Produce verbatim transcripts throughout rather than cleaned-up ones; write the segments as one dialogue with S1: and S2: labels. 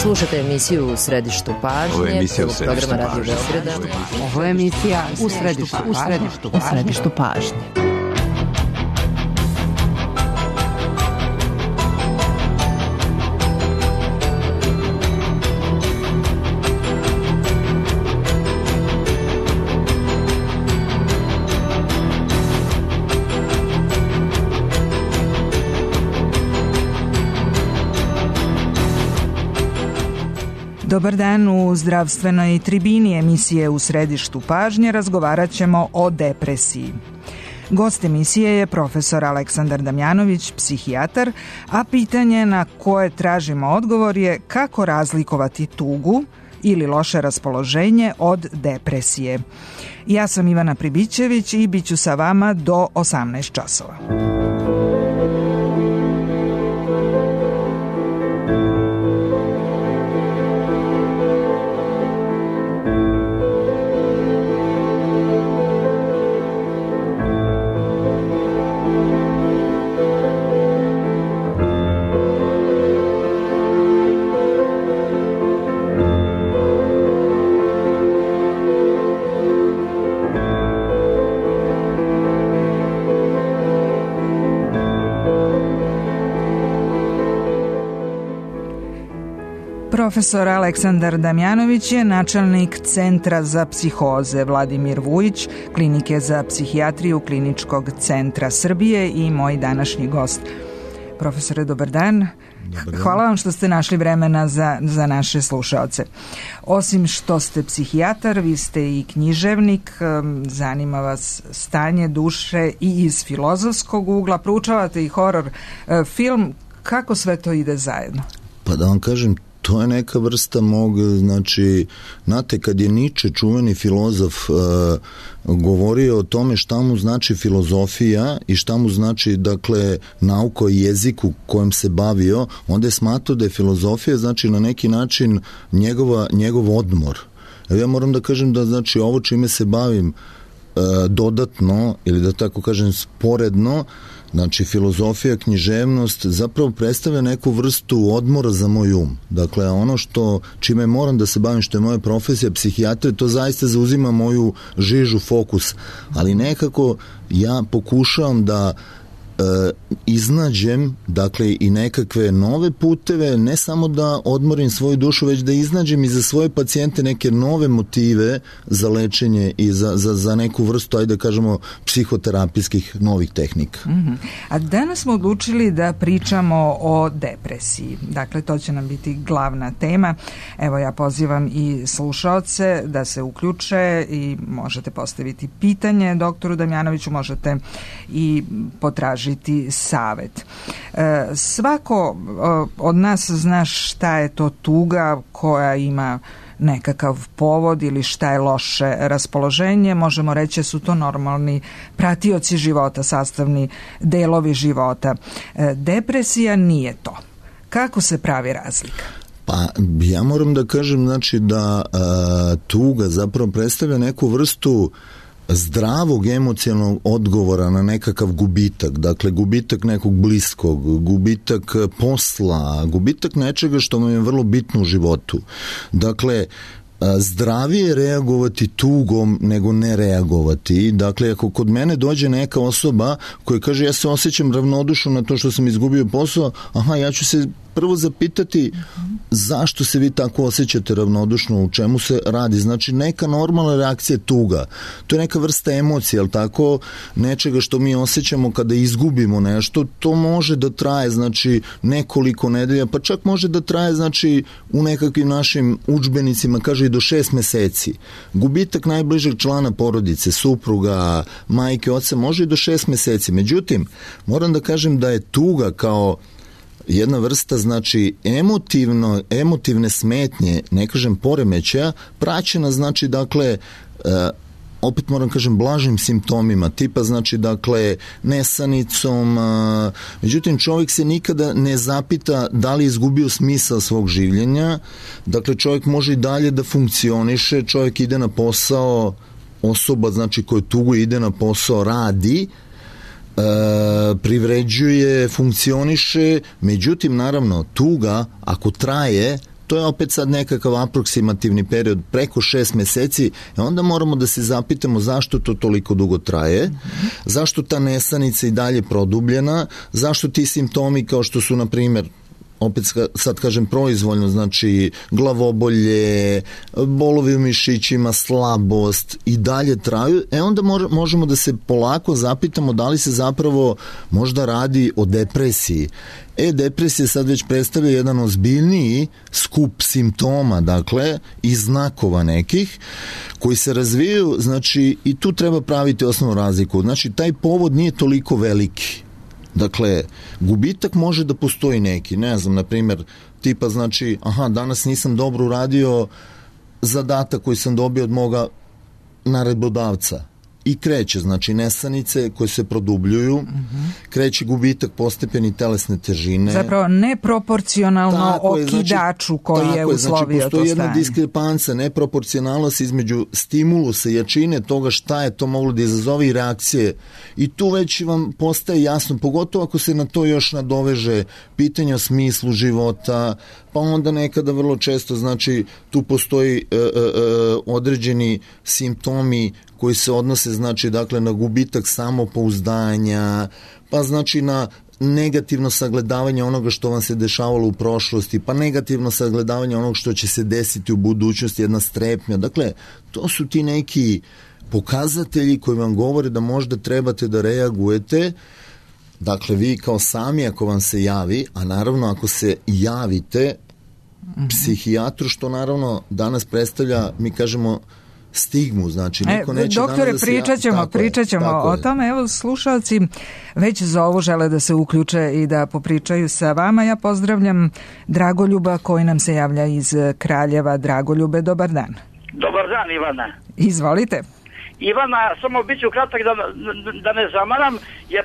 S1: Slušate emisiju U središtu pažnje.
S2: Ovo je emisija U središtu
S1: programa Radio Beograda.
S3: Ovo je emisija U središtu, u središtu, u središtu pažnje.
S4: Dobar dan, u zdravstvenoj tribini emisije U središtu pažnje razgovarat ćemo o depresiji. Gost emisije je profesor Aleksandar Damjanović, psihijatar, a pitanje na koje tražimo odgovor je kako razlikovati tugu ili loše raspoloženje od depresije. Ja sam Ivana Pribićević i bit ću sa vama do osamnaest časova. Profesor Aleksandar Damjanović je načelnik Centra za psihoze Vladimir Vujić, Klinike za psihijatriju Kliničkog centra Srbije i moj današnji gost. Profesore, dobar dan. Dobar dan. Hvala vam što ste našli vremena za, za naše slušaoce. Osim što ste psihijatar, vi ste i književnik, zanima vas stanje duše i iz filozofskog ugla, proučavate i horor film. Kako sve to ide zajedno?
S5: Pa da vam kažem, to je neka vrsta mog, znači, znate, kad je Niče, čuveni filozof, uh, govorio o tome šta mu znači filozofija i šta mu znači, dakle, nauka o jeziku kojim se bavio, onda je smatrao da je filozofija, znači, na neki način njegova, njegov odmor. Evo ja moram da kažem da, znači, ovo čime se bavim uh, dodatno, ili da tako kažem sporedno, znači filozofija, književnost zapravo predstavlja neku vrstu odmora za moj um. Dakle, ono što čime moram da se bavim, što je moja profesija psihijatrije, to zaista zauzima moju žižu, fokus. Ali nekako ja pokušavam da e, iznađem, dakle, i nekakve nove puteve, ne samo da odmorim svoju dušu, već da iznađem i za svoje pacijente neke nove motive za lečenje i za, za, za neku vrstu, ajde da kažemo, psihoterapijskih novih tehnika.
S4: Mm-hmm. A danas smo odlučili da pričamo o depresiji. Dakle, to će nam biti glavna tema. Evo, ja pozivam i slušaoce da se uključe i možete postaviti pitanje doktoru Damjanoviću, možete i potražiti savet. E, svako od nas zna šta je to tuga koja ima nekakav povod ili šta je loše raspoloženje. Možemo reći su to normalni pratioci života, sastavni delovi života. E, depresija nije to. Kako se pravi razlika?
S5: Pa ja moram da kažem, znači, da a, tuga zapravo predstavlja neku vrstu zdravog emocionalnog odgovora na nekakav gubitak, dakle gubitak nekog bliskog, gubitak posla, gubitak nečega što vam je vrlo bitno u životu. Dakle, zdravije reagovati tugom nego ne reagovati. Dakle, ako kod mene dođe neka osoba koja kaže ja se osjećam ravnodušno na to što sam izgubio posao, aha, ja ću se prvo zapitati zašto se vi tako osjećate ravnodušno, u čemu se radi. Znači, neka normalna reakcija je tuga. To je neka vrsta emocije, ali tako, nečega što mi osjećamo kada izgubimo nešto, to može da traje, znači, nekoliko nedelja, pa čak može da traje, znači, u nekakvim našim udžbenicima, kaže i do šest meseci. Gubitak najbližeg člana porodice, supruga, majke, oca, može i do šest meseci. Međutim, moram da kažem da je tuga kao jedna vrsta, znači, emotivno, emotivne smetnje, ne kažem poremećaja, praćena, znači, dakle, e, opet moram kažem blažim simptomima, tipa, znači, dakle, nesanicom, a, međutim, čovjek se nikada ne zapita da li je izgubio smisao svog življenja, dakle, čovjek može i dalje da funkcioniše, čovjek ide na posao, osoba, znači, koja tugu ide na posao, radi, E, privređuje, funkcioniše, međutim, naravno, tuga, ako traje, to to je opet sad nekakav aproksimativni period preko šest meseci, e onda moramo da se zapitamo zašto to toliko dugo traje, mm-hmm. zašto ta nesanica i dalje produbljena, zašto ti simptomi kao što su, na primjer, opet sad kažem proizvoljno, znači glavobolje, bolovi u mišićima, slabost i dalje traju, e onda možemo da se polako zapitamo da li se zapravo možda radi o depresiji. E, depresija sad već predstavlja jedan ozbiljniji skup simptoma, dakle, i znakova nekih, koji se razvijaju, znači, i tu treba praviti osnovnu razliku. Znači, taj povod nije toliko veliki. Dakle, gubitak može da postoji neki, ne znam, na primjer, tipa znači, aha, danas nisam dobro uradio zadatak koji sam dobio od moga naredbodavca. I kreće, znači nesanice koje se produbljuju, mm-hmm. kreće gubitak postepeni telesne težine.
S4: Zapravo neproporcionalno tako okidaču znači, koji je uslovio znači, to stanje. Postoji jedna diskrepanca,
S5: neproporcionalnost između stimulusa, jačine toga šta je to moglo da izazove i reakcije. I tu već vam postaje jasno, pogotovo ako se na to još nadoveže pitanje o smislu života, pa onda nekada vrlo često, znači, tu postoji e, e, određeni simptomi koji se odnose, znači, dakle, na gubitak samopouzdanja, pa znači na negativno sagledavanje onoga što vam se dešavalo u prošlosti, pa negativno sagledavanje onoga što će se desiti u budućnosti, jedna strepnja. Dakle, to su ti neki pokazatelji koji vam govore da možda trebate da reagujete. Dakle, vi kao sami ako vam se javi, a naravno ako se javite mm-hmm. psihijatru, što naravno danas predstavlja, mi kažemo, stigmu, znači niko e, neće
S4: doktore,
S5: danas da se
S4: pričat ćemo,
S5: tako
S4: pričat ćemo
S5: je,
S4: o tome. Evo, slušalci već zovu, žele da se uključe i da popričaju sa vama. Ja pozdravljam Dragoljuba koji nam se javlja iz Kraljeva. Dragoljube, dobar dan.
S2: Dobar dan, Ivana.
S4: Izvolite.
S2: Ivana, samo bit ću kratak da, da ne zamaram, jer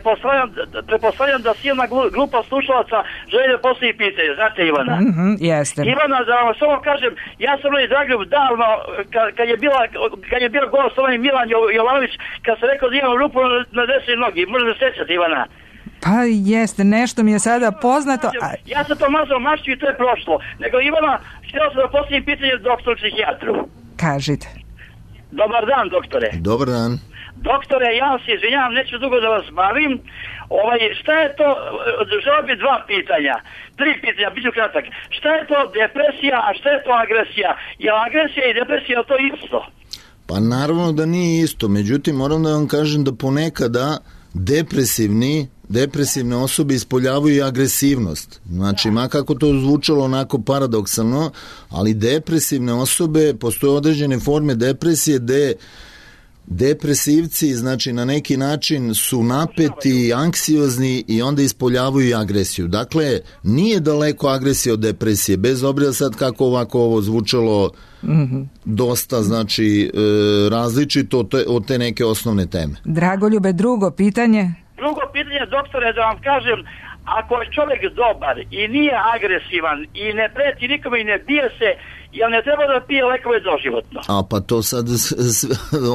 S2: prepostavljam da si jedna glupa slušalaca želi da postoji pitanje, znate Ivana?
S4: Mm-hmm, jeste.
S2: Ivana, da vam samo kažem, ja sam li Dragoljub davno, kad, kad je bila kad je bio gost ovaj Milan Jovanović, kad sam rekao da imam rupu na desnoj nogi, možda se sjećate Ivana?
S4: Pa jeste, nešto mi je sada poznato. A...
S2: Ja sam to mazao mašću i to je prošlo. Nego Ivana, htio sam da postavim pitanje doktoru psihijatru.
S4: Kažite.
S2: Dobar dan, doktore.
S5: Dobar dan.
S2: Doktore, ja se izvinjavam, neću dugo da vas bavim. Ovaj, šta je to, želeo bi dva pitanja, tri pitanja, bit ću kratak. Šta je to depresija, a šta je to agresija? Je agresija i depresija to isto?
S5: Pa naravno da nije isto, međutim moram da vam kažem da ponekada depresivni depresivne osobe ispoljavaju i agresivnost. Znači, ma kako to zvučalo onako paradoksalno, ali depresivne osobe, postoje određene forme depresije gde depresivci, znači na neki način su napeti, anksiozni i onda ispoljavaju i agresiju. Dakle, nije daleko agresija od depresije, bez obzira sad kako ovako ovo zvučalo mm-hmm. dosta, znači, e, različito od te, od te neke osnovne teme.
S4: Dragoljube, drugo pitanje?
S2: Drugo pitanje, doktore, da vam kažem, ako je čovjek dobar i nije agresivan i ne preti nikome i ne bije se, jel ne treba da pije lekove doživotno?
S5: A pa to sad,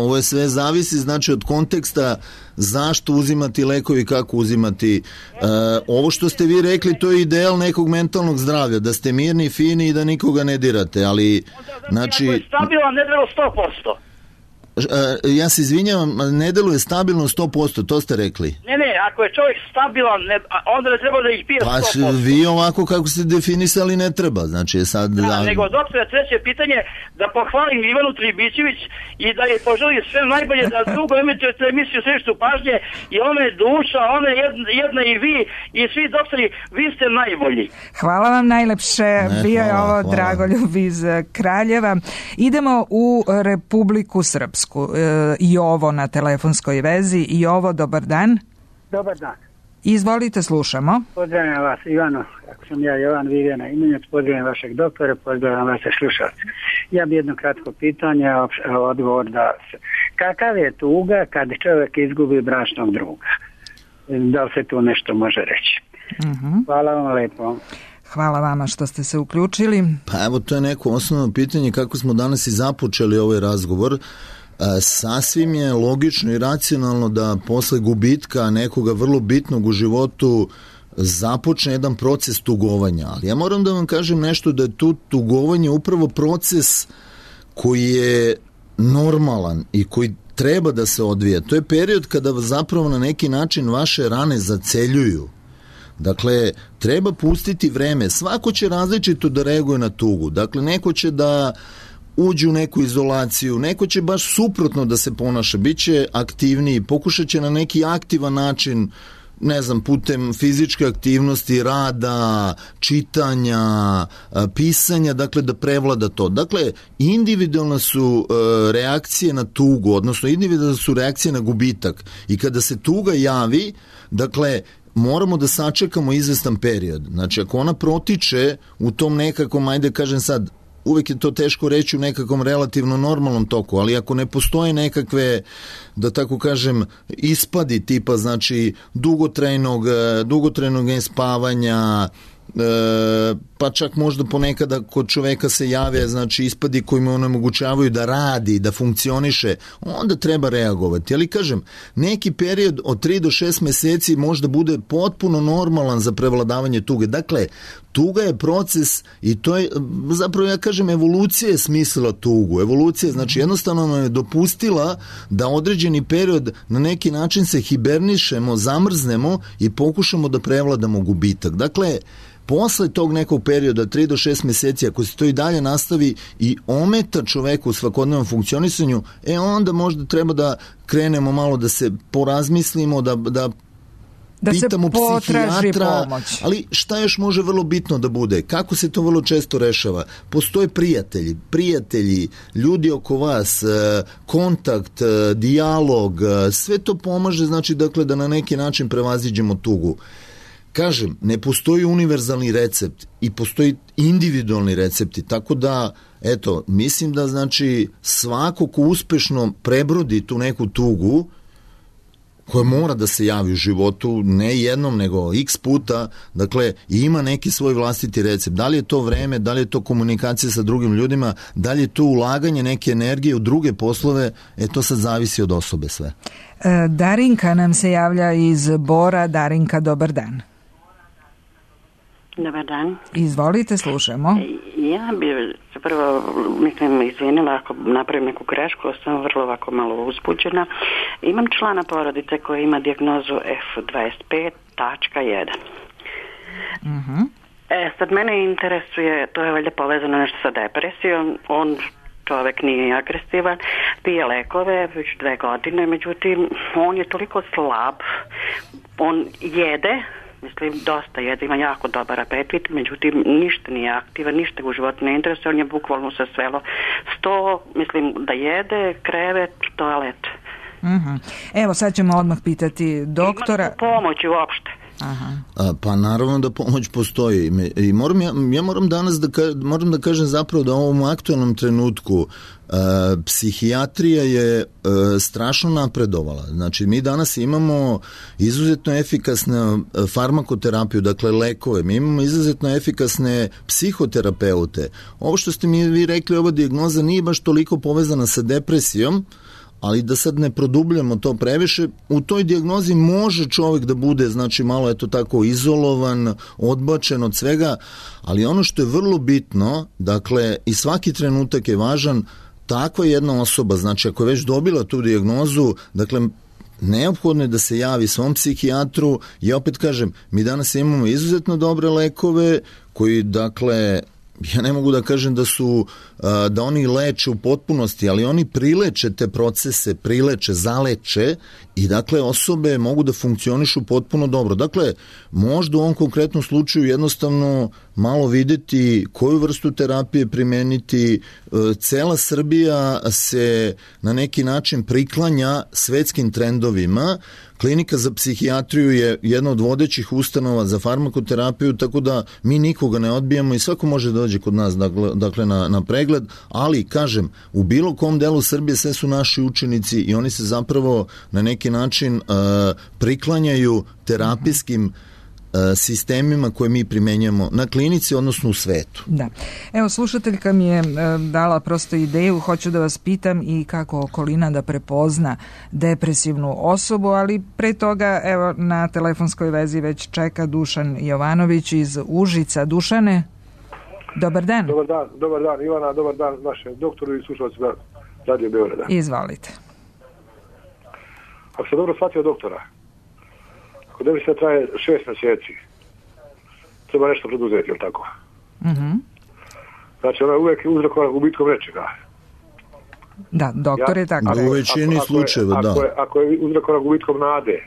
S5: ovo je sve zavisi, znači od konteksta zašto uzimati lekovi, kako uzimati. E, ovo što ste vi rekli, to je ideal nekog mentalnog zdravlja, da ste mirni, fini i da nikoga ne dirate, ali znači...
S2: Ako je stabilan, ne treba sto posto.
S5: Ja se izvinjavam, ne deluje stabilno sto posto, to ste rekli.
S2: Ne, ne, ako je čovjek stabilan, ne, onda ne treba da ih pije sto posto.
S5: Pa vi ovako kako ste definisali ne treba, znači sad...
S2: Da, da... nego doktore, treće pitanje, da pohvalim Ivanu Tribićević i da je poželim sve najbolje, da dugo emitujete emisiju Središtu pažnje i ona je duša, ona je jedna, jedna i vi i svi doktori, vi ste najbolji.
S4: Hvala vam najlepše, ne, bio je ovo hvala. Dragoljub iz Kraljeva. Idemo u Republiku Srpsku. I ovo na telefonskoj vezi. I ovo, dobar dan.
S6: Dobar dan.
S4: Izvolite, slušamo.
S6: Pozdravljam vas, Ivano. Ako sam ja Jovan Vivjana Imenjac, pozdravljam vašeg doktora, pozdravljam vaše slušalce. Ja bi jedno kratko pitanje, odgovor da... Kakav je tuga kad čovjek izgubi bračnog druga? Da li se tu nešto može reći? Uh-huh. Hvala vam lepo.
S4: Hvala vama što ste se uključili.
S5: Pa evo, to je neko osnovno pitanje kako smo danas i započeli ovaj razgovor. Sasvim je logično i racionalno da posle gubitka nekoga vrlo bitnog u životu započne jedan proces tugovanja. Ali ja moram da vam kažem nešto, da je tu tugovanje upravo proces koji je normalan i koji treba da se odvija. To je period kada zapravo na neki način vaše rane zaceljuju. Dakle, treba pustiti vreme. Svako će različito da reaguje na tugu. Dakle, neko će da uđe u neku izolaciju, neko će baš suprotno da se ponaša, bit će aktivniji, pokušat će na neki aktivan način, ne znam, putem fizičke aktivnosti, rada, čitanja, pisanja, dakle da prevlada to. Dakle, individualne su reakcije na tugu, odnosno individualne su reakcije na gubitak. I kada se tuga javi, dakle, moramo da sačekamo izvestan period. Znači, ako ona protiče u tom nekakvom, ajde kažem sad, uvek je to teško reći u nekakvom relativno normalnom toku, ali ako ne postoje nekakve, da tako kažem, ispadi tipa, znači, dugotrajnog, dugotrajnog nespavanja, e, pa čak možda ponekada kod čoveka se jave, znači, ispadi koji mu onemogućavaju da radi, da funkcioniše, onda treba reagovati. Ali kažem, neki period od tri do šest meseci možda bude potpuno normalan za prevladavanje tuge. Dakle, tuga je proces i to je, zapravo ja kažem, evolucija je smislila tugu. Evolucija, znači, jednostavno nam je dopustila da određeni period na neki način se hibernišemo, zamrznemo i pokušamo da prevladamo gubitak. Dakle, posle tog nekog perioda, tri do šest meseci, ako se to i dalje nastavi i ometa čoveku u svakodnevnom funkcionisanju, e onda možda treba da krenemo malo da se porazmislimo, da, da
S4: da
S5: pitamo
S4: se potraži
S5: psihijatra,
S4: pomoć.
S5: Ali šta još može vrlo bitno da bude? Kako se to vrlo često rešava? Postoje prijatelji, prijatelji, ljudi oko vas, kontakt, dijalog, sve to pomaže, znači, dakle, da na neki način prevaziđemo tugu. Kažem, ne postoji univerzalni recept i postoji individualni recepti, tako da, eto, mislim da, znači, svako ko uspešno prebrodi tu neku tugu, koja mora da se javi u životu, ne jednom, nego x puta, dakle, ima neki svoj vlastiti recept. Da li je to vreme, da li je to komunikacija sa drugim ljudima, da li je to ulaganje neke energije u druge poslove, e, to sad zavisi od osobe sve.
S4: E, Darinka nam se javlja iz Bora. Darinka, dobar dan.
S7: Dobar dan.
S4: Izvolite, slušamo.
S7: Ja bi prvo, mislim, izvinila ako napravim neku grešku, sam vrlo ovako malo uzbuđena. Imam člana porodice koji ima dijagnozu F dvadeset pet tačka jedan.
S4: Uh-huh.
S7: E, sad mene interesuje, to je valjda povezano nešto sa depresijom, on čovek nije agresivan, pije lekove već dve godine, međutim, on je toliko slab, on jede, mislim, dosta jede, ima jako dobar apetit, međutim, ništa nije aktivan, ništa u životu ne interesuje, on je bukvalno se svelo sto, mislim, da jede, krevet, toalet.
S4: Uh-huh. Evo, sad ćemo odmah pitati doktora.
S7: Ima pomoći uopšte.
S4: Aha.
S5: A, pa naravno da pomoć postoji i moram ja, ja moram danas da, ka, moram da kažem zapravo da u ovom aktualnom trenutku a, psihijatrija je a, strašno napredovala. Znači mi danas imamo izuzetno efikasnu farmakoterapiju, dakle lekove, mi imamo izuzetno efikasne psihoterapeute. Ovo što ste mi vi rekli, ova dijagnoza nije baš toliko povezana sa depresijom, ali da sad ne produbljamo to previše, u toj dijagnozi može čovjek da bude, znači, malo eto tako izolovan, odbačen od svega, ali ono što je vrlo bitno, dakle, i svaki trenutak je važan, takva jedna osoba, znači, ako je već dobila tu dijagnozu, dakle, neophodno je da se javi svom psihijatru. Ja opet kažem, mi danas imamo izuzetno dobre lekove koji, dakle, ja ne mogu da kažem da su, da oni leče u potpunosti, ali oni prileče te procese, prileče, zaleče i dakle osobe mogu da funkcionišu potpuno dobro. Dakle, možda u ovom konkretnom slučaju jednostavno malo videti koju vrstu terapije primeniti. Cela Srbija se na neki način priklanja svetskim trendovima. Klinika za psihijatriju je jedna od vodećih ustanova za farmakoterapiju, tako da mi nikoga ne odbijamo i svako može da dođe kod nas, dakle, dakle na, na pregled, ali kažem, u bilo kom delu Srbije sve su naši učenici i oni se zapravo na neki način uh, priklanjaju terapijskim sistemima koje mi primenjamo na klinici, odnosno u svetu.
S4: Da. Evo, slušateljka mi je dala prosto ideju, hoću da vas pitam i kako okolina da prepozna depresivnu osobu, ali pre toga, evo, na telefonskoj vezi već čeka Dušan Jovanović iz Užica. Dušane, dobar dan.
S8: Dobar dan, dobar dan Ivana, dobar dan vašem doktoru i slušalcima Radio Beograda.
S4: Izvolite.
S8: Ako sam dobro shvatio doktora, ako depresija traje šest mjeseci, treba nešto preduzeti, je li tako?
S4: Mhm.
S8: Znači, ona je uvijek uzrokovana gubitkom nečega.
S4: Da, doktor je tako.
S5: U većini slučajeva, da.
S8: Ako je, ako je uzrokovana gubitkom nade,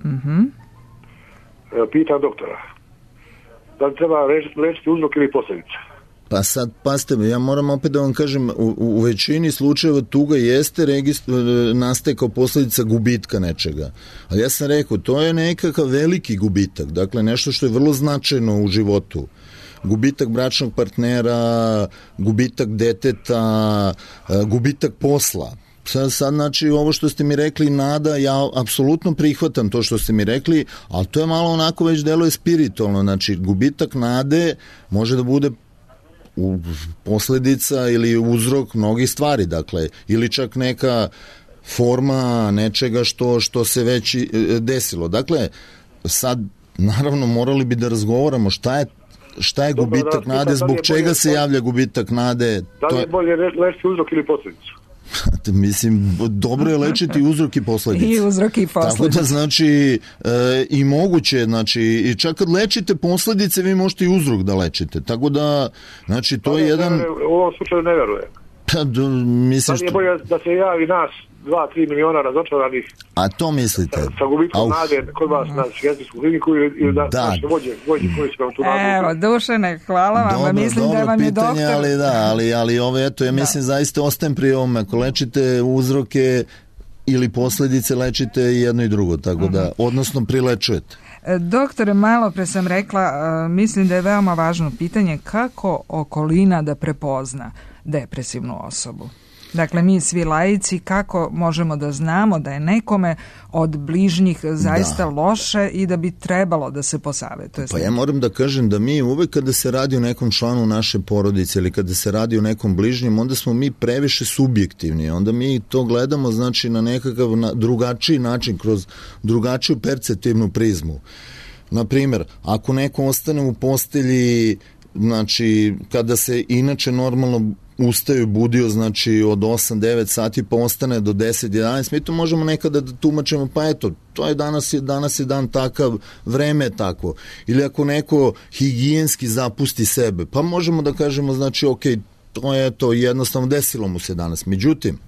S4: mhm.
S8: pitam doktora, da li treba lečiti uzrok ili posljedice?
S5: Pa sad, pazite, ja moram opet da vam kažem, u, u većini slučajeva tuga jeste registr, nastaje kao posljedica gubitka nečega. Ali ja sam rekao, to je nekakav veliki gubitak, dakle nešto što je vrlo značajno u životu. Gubitak bračnog partnera, gubitak deteta, gubitak posla. Sad, sad, znači, ovo što ste mi rekli, nada, ja apsolutno prihvatam to što ste mi rekli, ali to je malo onako već deluje spiritualno. Znači, gubitak nade može da bude u posljedica ili uzrok mnogih stvari, dakle, ili čak neka forma nečega što, što se već desilo. Dakle, sad, naravno, morali bi da razgovaramo šta je šta je Dobar, gubitak da, nade, zbog čega bolje, se javlja gubitak nade.
S8: Da li je bolje lečiti uzrok ili posljedicu?
S5: Mislim, dobro je lečiti uzrok i posljedice.
S4: I uzrok i posljedice.
S5: Tako da, znači, e, i moguće, znači, i čak kad lečite posljedice, vi možete i uzrok da lečite. Tako da, znači, to
S8: pa
S5: je
S8: ne,
S5: jedan...
S8: Ne, u ovom slučaju ne verujem.
S5: Pa, do, mislim
S8: što... Da je bolje da se javi nas dva, tri miliona razočaranih.
S5: A to mislite?
S8: Sa, sa gubitkom nade kod vas na psihijatrijsku kliniku ili, ili da, da. naše vođe, vođe koji su vam tu nadu.
S4: Evo, Dušane, hvala vam.
S5: Dobro,
S4: mislim
S5: dobro
S4: da vam je
S5: pitanje,
S4: doktor...
S5: ali da, ali, ali ove, eto, ja mislim da. zaista ostajem pri ovome. Ako lečite uzroke ili posljedice, lečite jedno i drugo, tako uh-huh. da, odnosno prilečujete.
S4: Doktore, malo pre sam rekla, mislim da je veoma važno pitanje kako okolina da prepozna depresivnu osobu. Dakle, mi svi laici, kako možemo da znamo da je nekome od bližnjih zaista da. loše i da bi trebalo da se posavetuje?
S5: Pa ja moram da kažem da mi uvek kada se radi o nekom članu naše porodice ili kada se radi o nekom bližnjem, onda smo mi previše subjektivni. Onda mi to gledamo, znači, na nekakav na drugačiji način, kroz drugačiju perceptivnu prizmu. Naprimjer, ako neko ostane u postelji, znači, kada se inače normalno ustaju i budio, znači, od osam devet sati pa ostane do deset jedanaest, mi to možemo nekada da tumačemo, pa eto, to je danas, je, danas je dan takav, vreme je tako. Ili ako neko higijenski zapusti sebe, pa možemo da kažemo, znači, ok, to je to, jednostavno desilo mu se danas. Međutim,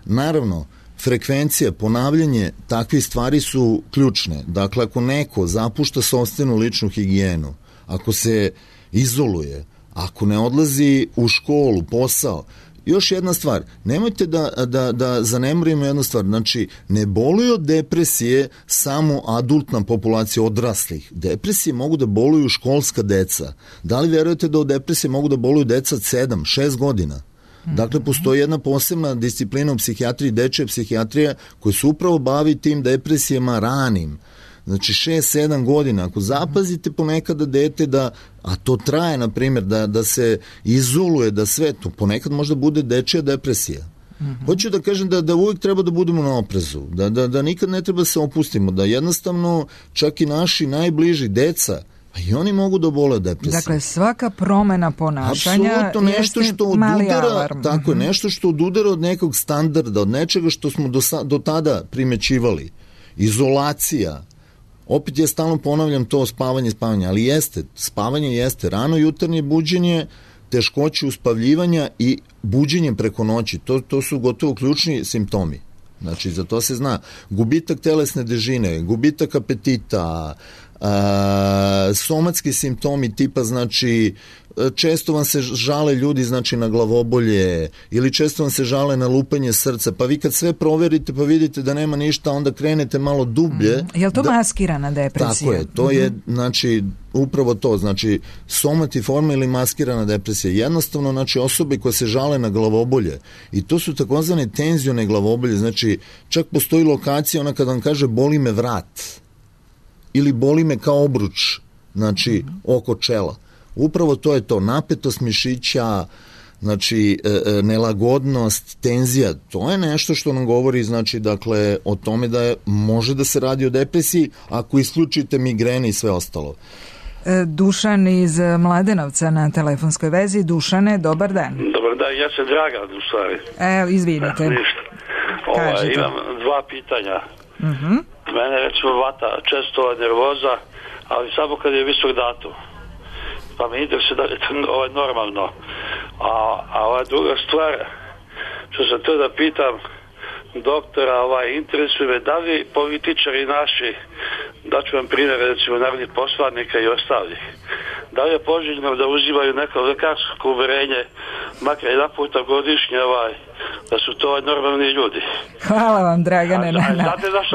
S5: naravno, frekvencija, ponavljanje takvih stvari su ključne. Dakle, ako neko zapušta sopstvenu ličnu higijenu, ako se izoluje, ako ne odlazi u školu, posao, još jedna stvar, nemojte da, da, da zanemarimo jednu stvar, znači, ne boluju od depresije samo adultna populacija odraslih. Depresije mogu da boluju školska deca. Da li vjerujete da od depresije mogu da boluju deca od sedam, šest godina? Dakle, postoji jedna posebna disciplina u psihijatriji, dečja psihijatrija, koja se upravo bavi tim depresijama ranim. Znači, šest sedam godina. Ako zapazite ponekada dete da, a to traje, na primjer, da, da se izoluje, da sve to, ponekad možda bude dečja depresija. Mm-hmm. Hoću da kažem da, da uvijek treba da budemo na oprezu, da, da, da nikad ne treba se opustimo, da jednostavno čak i naši najbliži deca, a i oni mogu da bole od depresije.
S4: Dakle, svaka promena ponašanja
S5: apsolutno nešto što odudara, tako je, nešto što odudara od nekog standarda, od nečega što smo do, do tada primećivali. Izolacija. Opet ja stalno ponavljam to spavanje, spavanje, ali jeste, spavanje jeste rano jutarnje buđenje, teškoće uspavljivanja i buđenje preko noći. To, to su gotovo ključni simptomi. Znači, za to se zna. Gubitak telesne težine, gubitak apetita, a, somatski simptomi tipa, znači, često vam se žale ljudi, znači, na glavobolje ili često vam se žale na lupanje srca, pa vi kad sve proverite pa vidite da nema ništa, onda krenete malo dublje.
S4: Mm. Je li to
S5: da,
S4: maskirana depresija?
S5: Tako je, to mm-hmm. je, znači, upravo to, znači, somatiforma ili maskirana depresija. Jednostavno, znači, osobe koje se žale na glavobolje i to su takozvane tenzione glavobolje, znači, čak postoji lokacija, ona kad vam kaže boli me vrat. ili boli me kao obruč, znači oko čela. Upravo to je to, napetost mišića, znači nelagodnost, tenzija, to je nešto što nam govori, znači, dakle, o tome da je, može da se radi o depresiji ako isključite migrene i sve ostalo.
S4: Dušan iz Mladenovca na telefonskoj vezi. Dušane, dobar dan.
S9: Dobar dan, ja sam Dragan u stvari.
S4: Evo, izvinite.
S9: Ništa. Ova, imam dva pitanja.
S4: Uh-huh.
S9: Mene recimo vata često nervoza, ali samo kad je visok datum. Pa me interesuje da je to ovaj, normalno. A, a ova druga stvar, što sam to da pitam doktora, ovaj, interesuje me da li političari naši, daću vam primjer recimo narodnih poslanika i ostalih, da li je poželjno da uzimaju neko lekarsko uverenje makar jedan puta godišnje, ovaj, da su to normalni ljudi.
S4: Hvala vam, Dragane,
S9: a,
S4: na,
S9: a,
S4: na,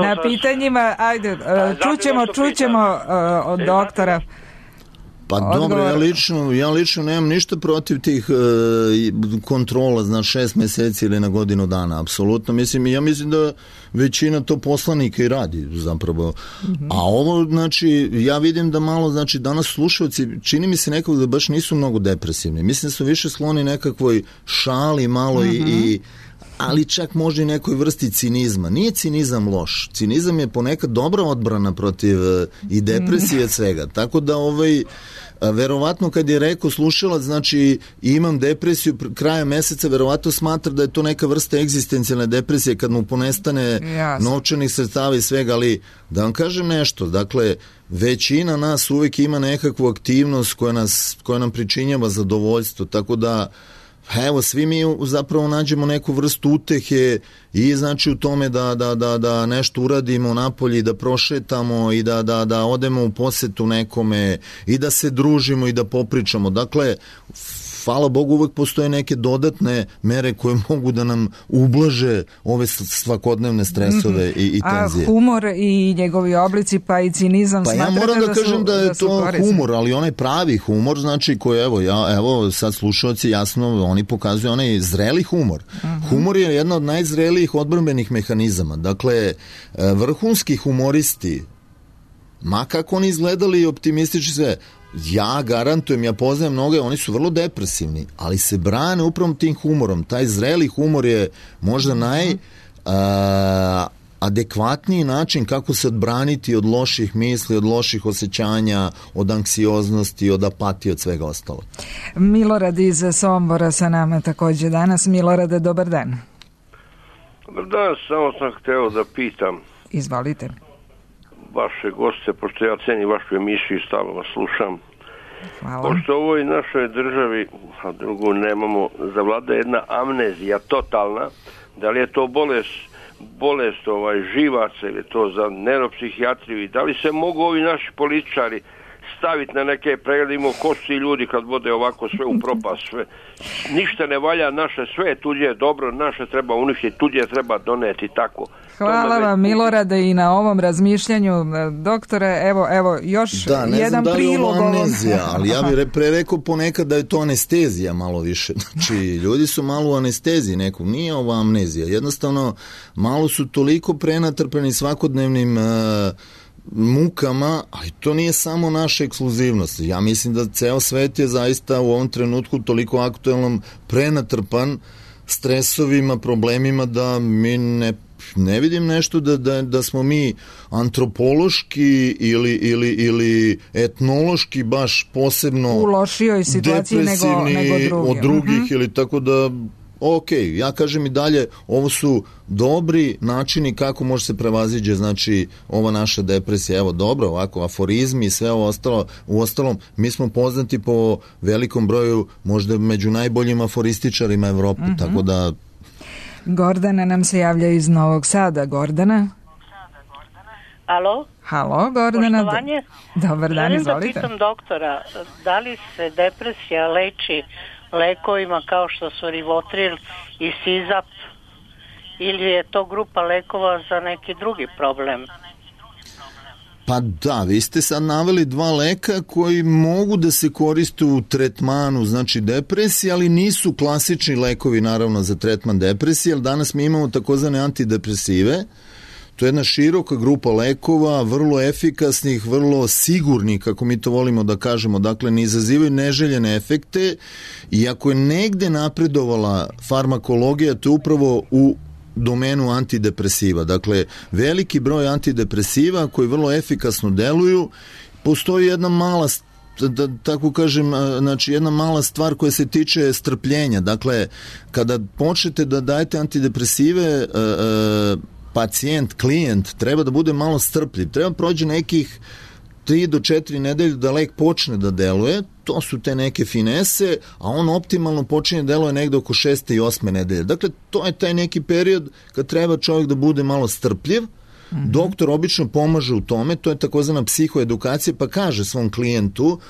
S4: na
S9: sam...
S4: pitanjima. Ajde, a, čućemo, čućemo uh, od e, doktora.
S5: Pa odgovor. Dobro, ja lično, ja lično nemam ništa protiv tih e, kontrola, znači šest meseci ili na godinu dana, apsolutno. Mislim, ja mislim da većina to poslanika i radi zapravo. Mm-hmm. A ovo, znači, ja vidim da malo, znači, danas slušalci, čini mi se nekako da baš nisu mnogo depresivni. Mislim da su više skloni nekakvoj šali malo mm-hmm. i, i ali čak možda i nekoj vrsti cinizma. Nije cinizam loš. Cinizam je ponekad dobra odbrana protiv i depresije mm. svega. Tako da ovaj verovatno kad je rekao slušalac, znači imam depresiju kraja meseca, verovatno smatra da je to neka vrsta egzistencijalne depresije kad mu ponestane Jasne. novčanih sredstava i svega, ali da vam kažem nešto, dakle većina nas uvijek ima nekakvu aktivnost koja, nas, koja nam pričinjava zadovoljstvo, tako da evo, svi mi zapravo nađemo neku vrstu utehe i znači u tome da, da, da, da nešto uradimo napolje, da prošetamo i da, da, da odemo u posetu nekome i da se družimo i da popričamo. Dakle, hvala Bogu, uvek postoje neke dodatne mere koje mogu da nam ublaže ove svakodnevne stresove mm-hmm. i, i tenzije.
S4: A humor i njegovi oblici, pa i cinizam
S5: pa ja moram da, da kažem su, da je da to korisni. Humor, ali onaj pravi humor, znači koji, evo, ja, evo sad slušalci jasno, oni pokazuju onaj zreli humor. Mm-hmm. Humor je jedna od najzrelijih odbrambenih mehanizama. Dakle, vrhunski humoristi, ma kako oni izgledali optimistični sve, ja garantujem, ja poznajem mnoge, oni su vrlo depresivni, ali se brane upravo tim humorom. Taj zreli humor je možda naj a, adekvatniji način kako se odbraniti od loših misli, od loših osjećanja, od anksioznosti, od apatije, od svega ostalo.
S4: Milorad iz Sombora sa nama također danas. Milorade, dobar dan.
S10: Dobar dan, samo sam hteo da pitam.
S4: Izvolite.
S10: Vaše goste, pošto ja cenim vašu emisiju i stalno vas slušam.
S4: Hvala.
S10: Pošto u ovoj našoj državi, a drugo nemamo, zavlada jedna amnezija totalna, da li je to bolest, bolest ovaj, živaca ili to za neuropsihijatriju i da li se mogu ovi naši političari staviti na neke preglede, ko su ti ljudi kad vode ovako sve u propast, sve. Ništa ne valja, naše sve je tuđe je dobro, naše treba uništiti, tuđe treba doneti, tako.
S4: Hvala vam, Milorade, i na ovom razmišljanju. Doktore, evo, evo još
S5: da,
S4: jedan
S5: znam,
S4: prilog.
S5: Da, amnezija, ali ja bih pre rekao ponekad da je to anestezija malo više. Znači, ljudi su malo u anesteziji nekog, nije ovo amnezija. Jednostavno, malo su toliko prenatrpeni svakodnevnim uh, mukama, ali to nije samo naša ekskluzivnost. Ja mislim da ceo svet je zaista u ovom trenutku toliko aktuelnom prenatrpan stresovima, problemima da mi ne ne vidim nešto da, da, da smo mi antropološki ili, ili, ili etnološki baš posebno
S4: u lošijoj situaciji nego, nego drugi.
S5: od drugih
S4: uh-huh.
S5: ili tako da ok, ja kažem i dalje, ovo su dobri načini kako može se prevaziđe, znači, ova naša depresija. Evo, dobro, ovako, aforizmi i sve ovo ostalo, u ostalom, mi smo poznati po velikom broju, možda među najboljim aforističarima Evrope, uh-huh. tako da...
S4: Gordana nam se javlja iz Novog Sada. Gordana?
S11: Alo?
S4: Halo, Gordana.
S11: Poštovanje.
S4: Dobar dan,
S11: Želim
S4: izvolite.
S11: da pitam doktora, da li se depresija leči lekovima kao što su Rivotril i Sizap ili je to grupa lekova za neki drugi problem?
S5: Pa da, vi ste sad naveli dva leka koji mogu da se koriste u tretmanu, znači depresije, ali nisu klasični lekovi naravno za tretman depresije, jer danas mi imamo takozvane antidepresive. To je jedna široka grupa lekova, vrlo efikasnih, vrlo sigurnih, kako mi to volimo da kažemo, dakle ne izazivaju neželjene efekte i ako je negde napredovala farmakologija, to je upravo u domenu antidepresiva. Dakle, veliki broj antidepresiva koji vrlo efikasno deluju, postoji jedna mala da tako kažem, znači jedna mala stvar koja se tiče strpljenja. Dakle, kada počnete da dajete antidepresive, e, e, pacijent, klijent treba da bude malo strpljiv. Treba prođe nekih tri do četiri nedelje da lek počne da deluje, to su te neke finese, a on optimalno počinje da deluje negde oko šeste i osme nedelje. Dakle, to je taj neki period kad treba čovjek da bude malo strpljiv. Mm-hmm. Doktor obično pomaže u tome, to je takozvana psihoedukacija, pa kaže svom klijentu,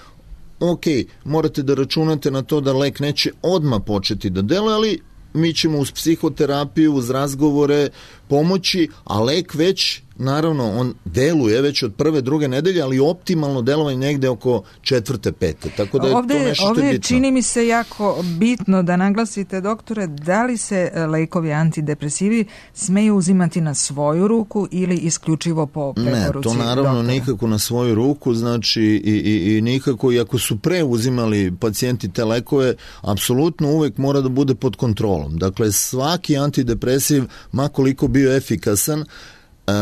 S5: ok, morate da računate na to da lek neće odmah početi da deluje, ali mi ćemo uz psihoterapiju, uz razgovore pomoći, a lek već, naravno, on deluje već od prve, druge nedelje, ali optimalno delovanje negde oko četvrte, pete. Tako da je
S4: ovde,
S5: to nešto što je bitno.
S4: Ovde čini mi se jako bitno da naglasite, doktore, da li se lekovi antidepresivi smeju uzimati na svoju ruku ili isključivo po preporuci
S5: doktora? Ne, to naravno
S4: doktora.
S5: Nikako na svoju ruku, znači i, i, i nikako, i ako su pre uzimali pacijenti te lekove, apsolutno uvek mora da bude pod kontrolom. Dakle, svaki antidepresiv, ma koliko bio efikasan,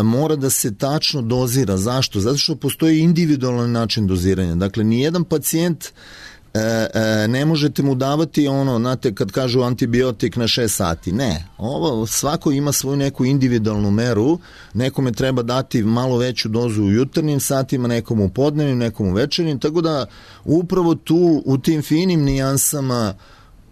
S5: mora da se tačno dozira. Zašto? Zato što postoji individualan način doziranja. Dakle, nijedan pacijent e, e, ne možete mu davati ono, znate, kad kažu antibiotik na šest sati. Ne. Ovo, svako ima svoju neku individualnu meru. Nekome treba dati malo veću dozu u jutarnjim satima, nekom u podnevnim, nekom u večernjim. Tako da upravo tu u tim finim nijansama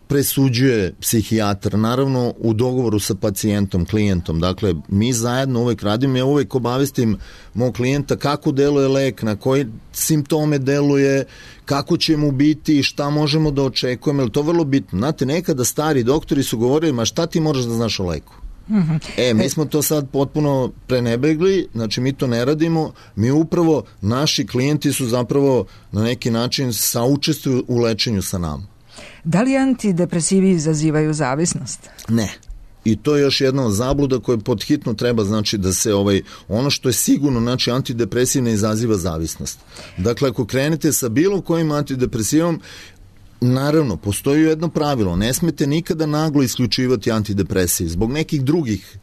S5: presuđuje psihijatar, naravno u dogovoru sa pacijentom, klijentom. Dakle, mi zajedno uvek radimo, ja uvek obavestim mog klijenta kako deluje lek, na koji simptome deluje, kako će mu biti, šta možemo da očekujemo, jer to je vrlo bitno. Znate, nekada stari doktori su govorili, ma šta ti moraš da znaš o leku? Mm-hmm. E, mi smo to sad potpuno prenebegli, znači mi to ne radimo, mi upravo, naši klijenti su zapravo na neki način saučestvuju u lečenju sa nama.
S4: Da li antidepresivi izazivaju zavisnost?
S5: Ne. I to je još jedna zabluda koja podhitno treba, znači da se ovaj, ono što je sigurno, znači antidepresiv ne izaziva zavisnost. Dakle, ako krenete sa bilo kojim antidepresivom, naravno, postoji jedno pravilo, ne smete nikada naglo isključivati antidepresiv zbog nekih drugih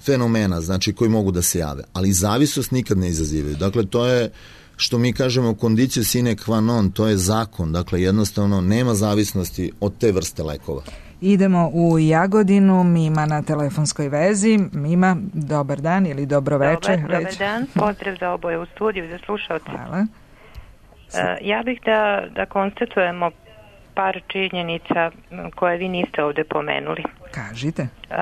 S5: fenomena, znači koji mogu da se jave, ali zavisnost nikad ne izazivaju. Dakle, to je što mi kažemo kondicio sine qua non, to je zakon, dakle jednostavno nema zavisnosti od te vrste lekova.
S4: Idemo u Jagodinu, Mima na telefonskoj vezi. Mima, dobar dan ili dobro večer.
S12: Dobar, dobar dan, pozdrav za oboje u studiju, za slušalce.
S4: Hvala.
S12: Uh, ja bih da, da konstatujemo par činjenica koje vi niste ovde pomenuli.
S4: Kažite.
S12: Uh,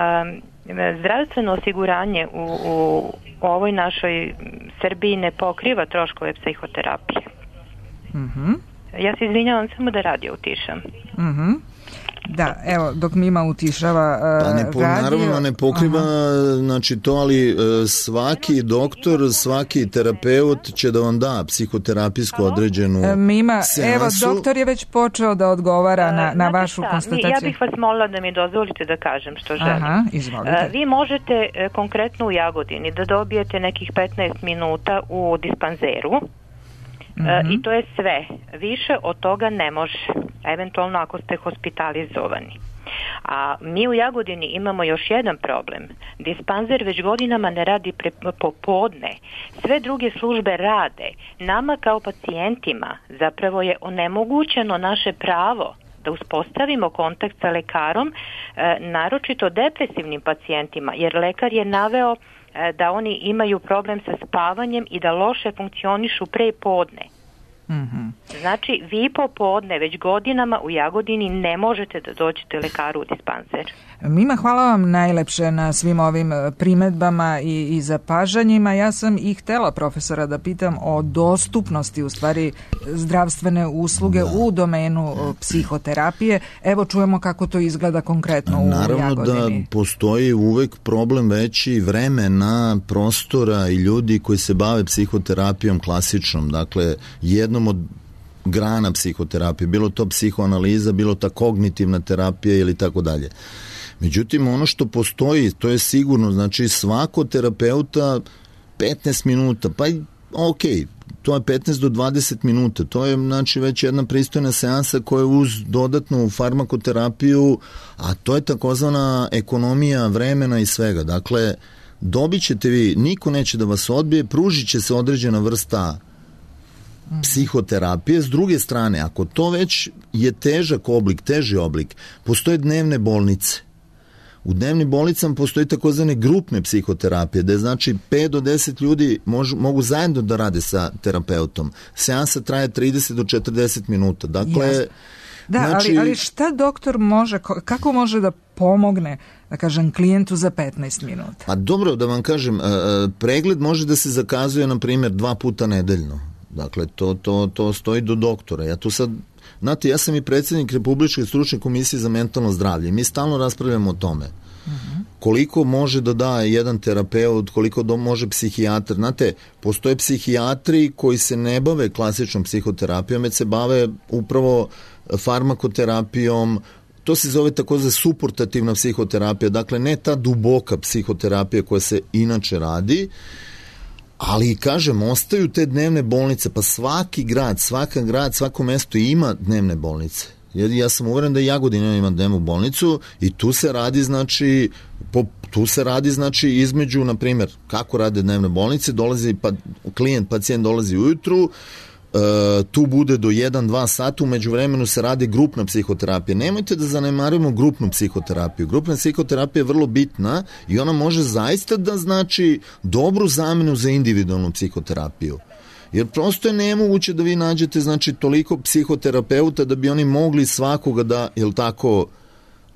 S12: zdravstveno osiguranje u, u ovoj našoj Srbiji ne pokriva troškove psihoterapije.
S4: Mhm.
S12: Ja se izvinjavam, samo da radio utišam.
S4: Mhm. Da, evo, dok Mima utišava uh,
S5: pa ne po,
S4: radio...
S5: Naravno ne pokriva znači to, ali uh, svaki doktor, svaki terapeut će da vam da psihoterapijsku određenu uh,
S4: Mima,
S5: seansu.
S4: Evo, doktor je već počeo da odgovara na, na vašu
S12: šta,
S4: konstataciju.
S12: Ja bih vas molila da mi dozvolite da kažem što želim.
S4: Aha, izvolite.
S12: Uh, vi možete uh, konkretno u Jagodini da dobijete nekih petnaest minuta u dispanzeru. Mm-hmm. I to je sve. Više od toga ne može. Eventualno ako ste hospitalizovani. A mi u Jagodini imamo još jedan problem. Dispanzer već godinama ne radi pre, popodne. Sve druge službe rade. Nama kao pacijentima zapravo je onemogućeno naše pravo da uspostavimo kontakt sa lekarom, naročito depresivnim pacijentima, jer lekar je naveo da oni imaju problem sa spavanjem i da loše funkcionišu pre podne.
S4: Mm-hmm.
S12: Znači, vi popodne već godinama u Jagodini ne možete da dođete lekaru u dispanzer.
S4: Mima, hvala vam najlepše na svim ovim primedbama i, i zapažanjima. Ja sam i htela profesora da pitam o dostupnosti u stvari zdravstvene usluge da. u domenu psihoterapije. Evo čujemo kako to izgleda konkretno u
S5: Naravno
S4: Jagodini.
S5: Naravno da postoji uvek problem veći vremena, prostora i ljudi koji se bave psihoterapijom klasičnom. Dakle, jednom od grana psihoterapije, bilo to psihoanaliza, bilo ta kognitivna terapija ili tako dalje. Međutim, ono što postoji, to je sigurno, znači svako terapeuta petnaest minuta, pa ok, to je petnaest do dvadeset minuta, to je znači već jedna pristojna seansa koja je uz dodatnu farmakoterapiju, a to je takozvana ekonomija vremena i svega. Dakle, dobit ćete vi, niko neće da vas odbije, pružit će se određena vrsta psihoterapije. S druge strane, ako to već je težak oblik, teži oblik, postoje dnevne bolnice. U dnevnim bolnicama postoji takozvane grupne psihoterapije, da je znači pet do deset ljudi mož, mogu zajedno da rade sa terapeutom. Seansa traje trideset do četrdeset minuta. Dakle,
S4: Jasne. Da,
S5: znači,
S4: ali, ali šta doktor može, kako može da pomogne, da kažem, klijentu za petnaest minuta?
S5: Pa dobro, da vam kažem, pregled može da se zakazuje, na primjer, dva puta nedeljno. Dakle, to, to, to stoji do doktora. Ja tu sad, znate, ja sam i predsjednik Republičke stručne komisije za mentalno zdravlje. Mi stalno raspravljamo o tome. Uh-huh. Koliko može da da jedan terapeut, koliko do može psihijatar. Znate, postoje psihijatri koji se ne bave klasičnom psihoterapijom, već se bave upravo farmakoterapijom. To se zove takozvana suportativna psihoterapija. Dakle, ne ta duboka psihoterapija koja se inače radi, ali, kažem, ostaju te dnevne bolnice, pa svaki grad, svaka grad, svako mesto ima dnevne bolnice. Ja sam uveren da i Jagodina ima dnevnu bolnicu i tu se radi, znači, po, tu se radi, znači, između, na primjer, kako rade dnevne bolnice, dolazi, pa, klijent, pacijent dolazi ujutru, Uh, tu bude do jedan do dva sata, umeđu vremenu se radi grupna psihoterapija. Nemojte da zanemarimo grupnu psihoterapiju. Grupna psihoterapija je vrlo bitna i ona može zaista da znači dobru zamenu za individualnu psihoterapiju. Jer prosto je nemoguće da vi nađete, znači, toliko psihoterapeuta da bi oni mogli svakoga da, jel tako,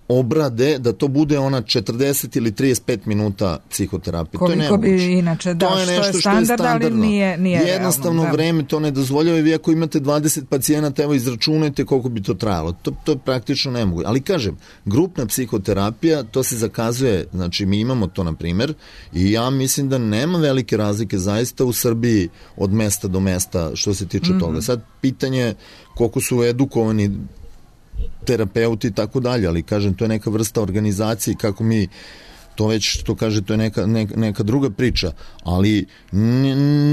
S5: obrade, da to bude ona četrdeset ili trideset pet minuta psihoterapije.
S4: Koliko
S5: to je
S4: bi inače, da,
S5: to je nešto
S4: što je
S5: što je
S4: standard, ali nije, nije
S5: jednostavno
S4: realno,
S5: vreme to ne dozvoljava i vi ako imate dvadeset pacijenata, evo izračunajte koliko bi to trajalo. To, to je praktično nemoguće. Ali kažem, grupna psihoterapija, to se zakazuje, znači mi imamo to na primjer i ja mislim da nema velike razlike zaista u Srbiji od mesta do mesta što se tiče mm-hmm. toga. Sad pitanje koliko su edukovani terapeuti i tako dalje, ali kažem, to je neka vrsta organizacije, kako mi to već, što kaže, to je neka, neka, neka druga priča, ali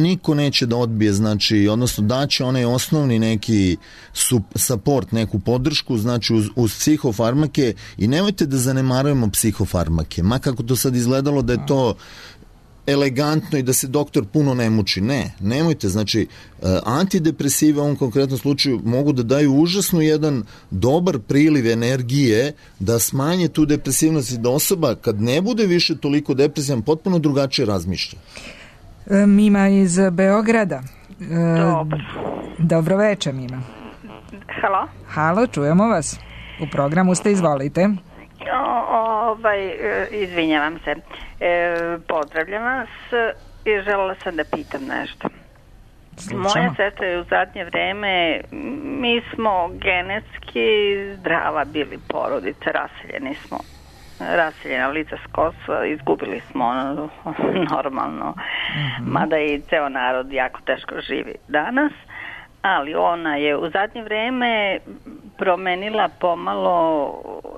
S5: niko neće da odbije, znači, odnosno daće onaj osnovni neki support, neku podršku, znači uz, uz psihofarmake i nemojte da zanemarujemo psihofarmake, ma kako to sad izgledalo da je to elegantno i da se doktor puno ne muči. Ne, nemojte, znači antidepresive u ovom konkretnom slučaju mogu da daju užasno jedan dobar priliv energije da smanje tu depresivnost i da osoba kad ne bude više toliko depresivan potpuno drugačije razmišlja.
S4: Mima iz Beograda.
S13: Dobro.
S4: Dobro večer, Mima.
S13: Halo?
S4: Halo, čujemo vas. U programu ste, izvolite.
S13: O, ovaj, izvinjavam se. E, pozdravljam vas i želela sam da pitam nešto. Slučamo. Moja sestra je u zadnje vreme, mi smo genetski zdrava bili porodica, raseljeni smo, raseljena lica s Kosova, izgubili smo ono, normalno, mm-hmm. mada i ceo narod jako teško živi danas, ali ona je u zadnje vreme promenila pomalo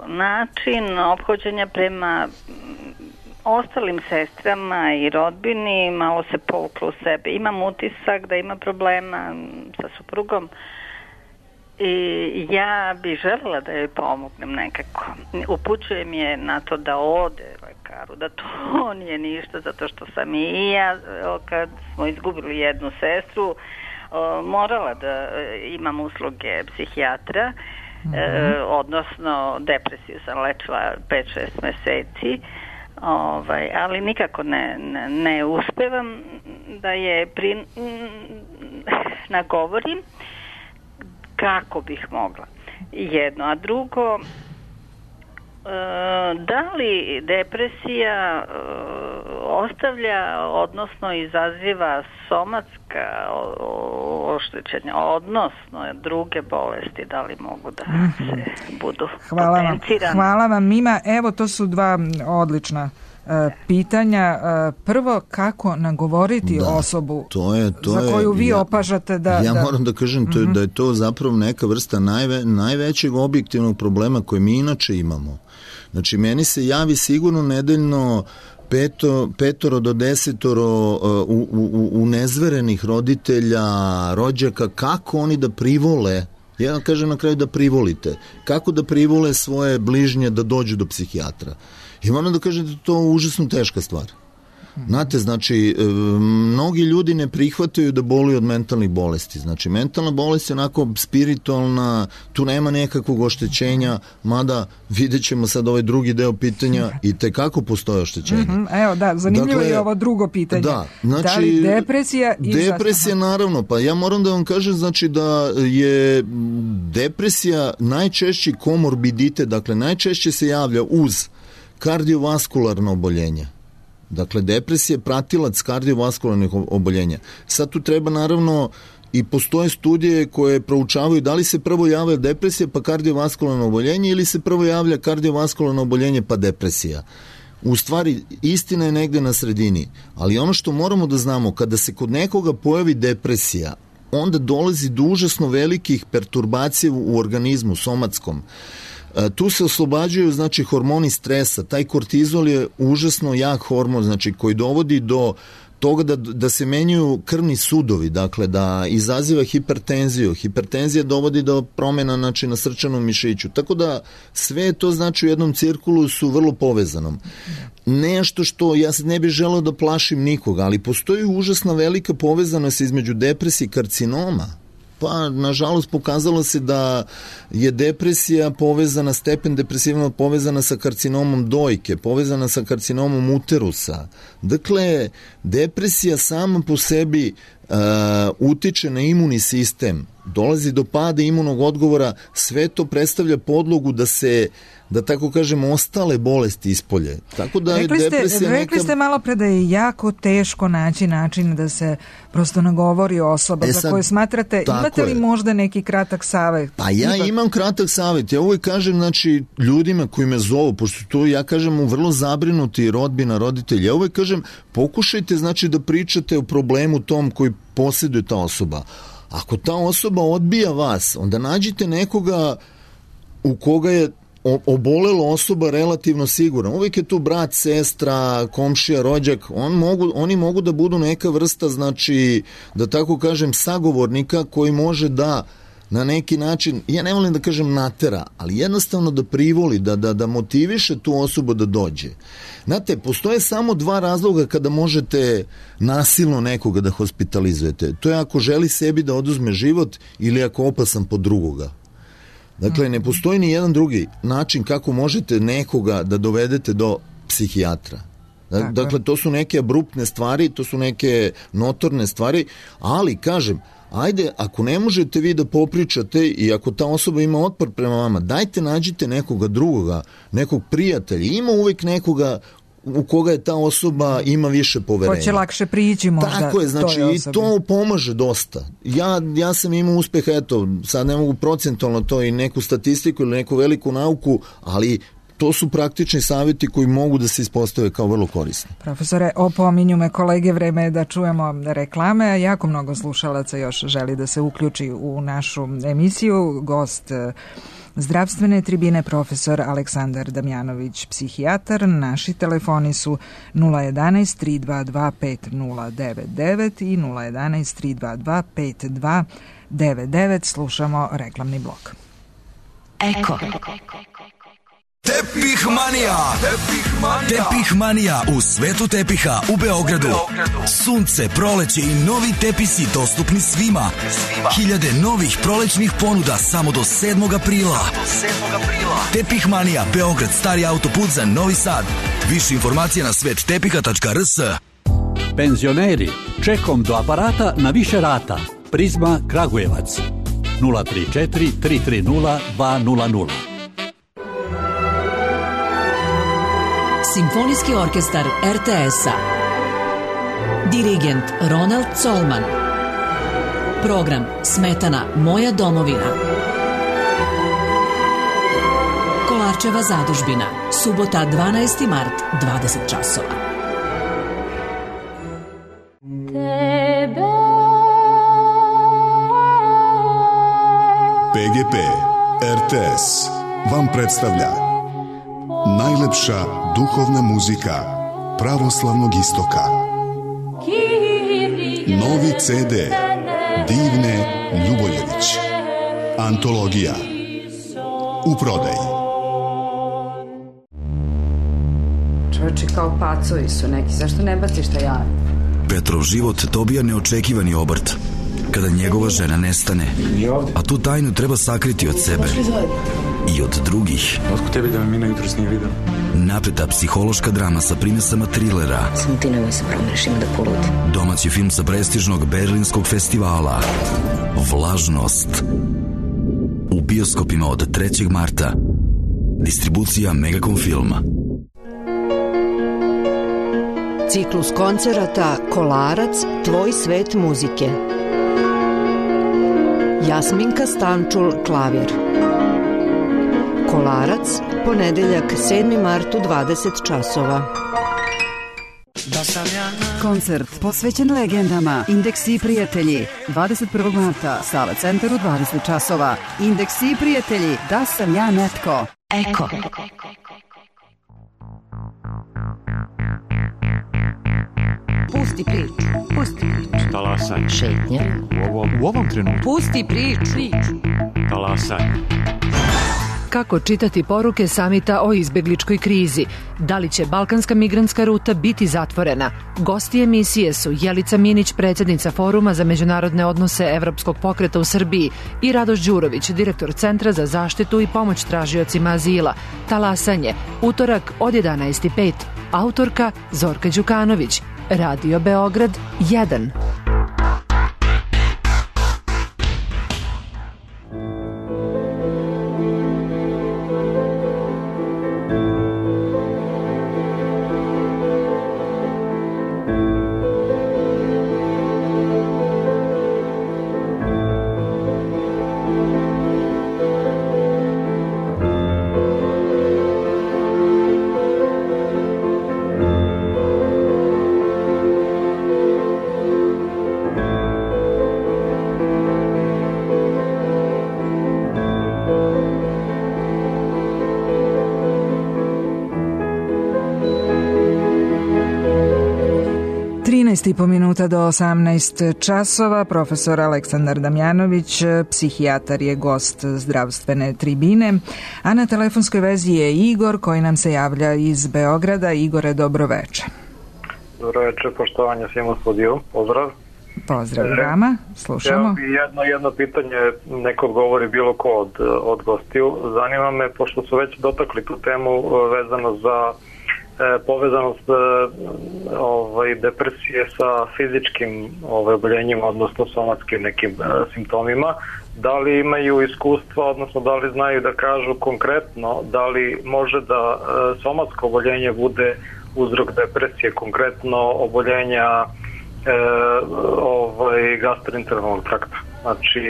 S13: način ophođenja prema ostalim sestrama i rodbini, malo se povukla u sebe. Imam utisak da ima problema sa suprugom i ja bih željela da joj pomognem nekako. Upućujem je na to da ode lekaru, da to nije ništa, zato što sam i ja, kad smo izgubili jednu sestru, morala da imam usluge psihijatra, mm-hmm. e, odnosno depresiju sam lečila pet šest meseci. Ovaj, ali nikako ne, ne, ne uspevam da je pri, m, nagovorim kako bih mogla. Jedno, a drugo, e, da li depresija e, ostavlja, odnosno izaziva somatska oštećenja, odnosno druge bolesti, da li mogu da se budu
S4: hvala
S13: potencirane?
S4: Vam, hvala vam, Mima. Evo, to su dva odlična pitanja. Prvo, kako nagovoriti
S5: da,
S4: osobu
S5: to je, to
S4: za koju vi
S5: ja,
S4: opažate da...
S5: Ja
S4: da...
S5: moram da kažem to je,
S4: mm-hmm.
S5: da je to zapravo neka vrsta najve, najvećeg objektivnog problema koje mi inače imamo. Znači, meni se javi sigurno nedeljno peto, petoro do desetoro u, u, u nezverenih roditelja, rođaka, kako oni da privole, ja vam kažem na kraju da privolite, kako da privole svoje bližnje da dođu do psihijatra. I moram da kažem da je to užasno teška stvar. Znate, znači, mnogi ljudi ne prihvataju da boluju od mentalnih bolesti. Znači, mentalna bolest je onako spiritualna, tu nema nekakvog oštećenja, mada vidjet ćemo sad ovaj drugi deo pitanja i tekako postoje oštećenje.
S4: Mm-hmm. Evo, da, zanimljivo dakle, je ovo drugo pitanje.
S5: Da, znači,
S4: da li depresija i...
S5: Depresija, naravno, pa ja moram da vam kažem, znači, da je depresija najčešći komorbiditet, dakle, najčešće se javlja uz kardiovaskularno oboljenje. Dakle, depresija je pratilac kardiovaskularnih oboljenja. Sad tu treba naravno i postoje studije koje proučavaju da li se prvo javlja depresija pa kardiovaskularno oboljenje ili se prvo javlja kardiovaskularno oboljenje pa depresija. U stvari, istina je negde na sredini, ali ono što moramo da znamo, kada se kod nekoga pojavi depresija, onda dolazi do užasno velikih perturbacija u organizmu, somatskom. Tu se oslobađaju, znači, hormoni stresa. Taj kortizol je užasno jak hormon, znači, koji dovodi do toga da, da se menjaju krvni sudovi, dakle, da izaziva hipertenziju. Hipertenzija dovodi do promjena, znači, na srčanom mišiću. Tako da sve to, znači, u jednom cirkulu su vrlo povezanom. Nešto što, ja ne bih želeo da plašim nikoga, ali postoji užasna velika povezanost između depresije i karcinoma. Pa, nažalost, pokazalo se da je depresija povezana, stepen depresivno povezana sa karcinomom dojke, povezana sa karcinomom uterusa. Dakle, depresija sama po sebi uh, utiče na imunni sistem, dolazi do pada imunog odgovora, sve to predstavlja podlogu da se, da tako kažem, ostale bolesti ispolje. Tako da
S4: rekli
S5: je
S4: ste,
S5: depresija
S4: rekli
S5: neka...
S4: ste malo pre da je jako teško naći način da se prosto nagovori osoba e sad, za koju smatrate. Imate li je. možda neki kratak savjet?
S5: Pa ja Ipak... imam kratak savjet. Ja uvijek kažem, znači, ljudima koji me zovu, pošto to ja kažem u vrlo zabrinuti rodbina, roditelji, ja uvijek kažem, pokušajte, znači, da pričate o problemu tom koji posjeduje ta osoba. Ako ta osoba odbija vas, onda nađite nekoga u koga je obolela osoba relativno sigurna. Uvijek je tu brat, sestra, komšija, rođak. On mogu, oni mogu da budu neka vrsta, znači, da tako kažem, sagovornika koji može da na neki način, ja ne volim da kažem natera, ali jednostavno da privoli, da, da, da motiviše tu osobu da dođe. Znate, postoje samo dva razloga kada možete nasilno nekoga da hospitalizujete. To je ako želi sebi da oduzme život ili ako opasan po drugoga. Dakle, ne postoji ni jedan drugi način kako možete nekoga da dovedete do psihijatra. Dakle, to su neke abruptne stvari, to su neke notorne stvari, ali, kažem, ajde, ako ne možete vi da popričate i ako ta osoba ima otpor prema vama, dajte nađite nekoga drugoga, nekog prijatelja. Ima uvijek nekoga u koga je ta osoba ima više poverenja.
S4: Ko će lakše prići možda.
S5: Tako je, znači i to pomaže dosta. Ja, ja sam imao uspeh, eto, sad ne mogu procentualno to i neku statistiku ili neku veliku nauku, ali to su praktični savjeti koji mogu da se ispostave kao vrlo korisni.
S4: Profesore, opominju me kolege, vreme je da čujemo reklame, a jako mnogo slušalaca još želi da se uključi u našu emisiju. Gost zdravstvene tribine profesor Aleksandar Damjanović, psihijatar. Naši telefoni su nula jedanaest tri dva dva pet nula devet devet i nula jedanaest tri dva dva pet dva devet devet. Slušamo reklamni blok.
S14: Eko. Tepih manija. Tepih manija. Tepih manija u svetu tepiha u Beogradu. Sunce, proleće i novi tepisi dostupni svima. svima. Hiljade novih prolećnih ponuda samo do sedmog aprila. Do sedmog aprila. Tepih manija, Beograd, stari autoput za Novi Sad. Više informacija na svet tepiha tačka r s.
S15: Penzioneri, čekom do aparata na više rata. Prizma Kragujevac. nula tri četiri tri tri nula dva nula nula.
S16: Simfonijski orkestar er te es-a. Dirigent Ronald Colman. Program Smetana, moja domovina. Kolaj Starčeva zadužbina. Subota dvanaesti mart, dvadeset časova.
S17: P G P R T S vam predstavlja najlepša duhovna muzika pravoslavnog istoka. Novi C D Divne Ljuboljević. Antologija. U prodaji.
S3: Čovječe, kao pacovi su neki, zašto ne baciš taj jav?
S14: Petrov život dobija neočekivani obrt kada njegova žena nestane, a tu tajnu treba sakriti od sebe i od drugih.
S18: Otko tebi da me Mina jutros nije vidio?
S14: Napreta psihološka drama sa primesama trilera.
S1: Samo ti nemoj se promeniš, ima da poludi.
S14: Domaći film sa prestižnog berlinskog festivala Vlažnost. U bioskopima od trećeg marta. Distribucija Megacom filma.
S19: Ciklus koncerata Kolarac, tvoj svet muzike. Jasminka Stančul, klavir. Kolarac, ponedeljak sedmi mart u dvadeset časova.
S3: Koncert posvećen legendama Indeksi i prijatelji. dvadeset prvog marta, Sala Centar u dvadeset časova. Indeksi i prijatelji, da sam ja netko. Eko.
S19: Pusti priču, pusti priču.
S18: Talasanje.
S19: Šetnja.
S18: U ovom, u ovom trenutku.
S19: Pusti priču.
S18: Talasanje.
S20: Kako čitati poruke samita o izbegličkoj krizi? Da li će balkanska migrantska ruta biti zatvorena? Gosti emisije su Jelica Minić, predsjednica Foruma za međunarodne odnose Evropskog pokreta u Srbiji, i Radoš Đurović, direktor Centra za zaštitu i pomoć tražiocima azila. Talasanje, utorak od jedanaest i pet. Autorka Zorka Đukanović. Radio Beograd jedan.
S4: trinaest i po minuta do osamnaest časova. Profesor Aleksandar Damjanović, psihijatar, je gost zdravstvene tribine, a na telefonskoj vezi je Igor koji nam se javlja iz Beograda. Igore, dobro veče.
S21: Dobro veče, poštovanje svim u studiju. Pozdrav.
S4: Pozdrav vama, slušamo.
S21: Evo jedno, jedno pitanje, neko odgovori bilo ko od, od gostiju. Zanima me, pošto su već dotakli tu temu vezano za e, povezanost e, ovaj, depresije sa fizičkim ovaj, oboljenjima, odnosno somatskim nekim e, simptomima, da li imaju iskustva, odnosno da li znaju da kažu konkretno da li može da e, somatsko oboljenje bude uzrok depresije, konkretno oboljenja E, ovaj, gastroenterolognog trakta, znači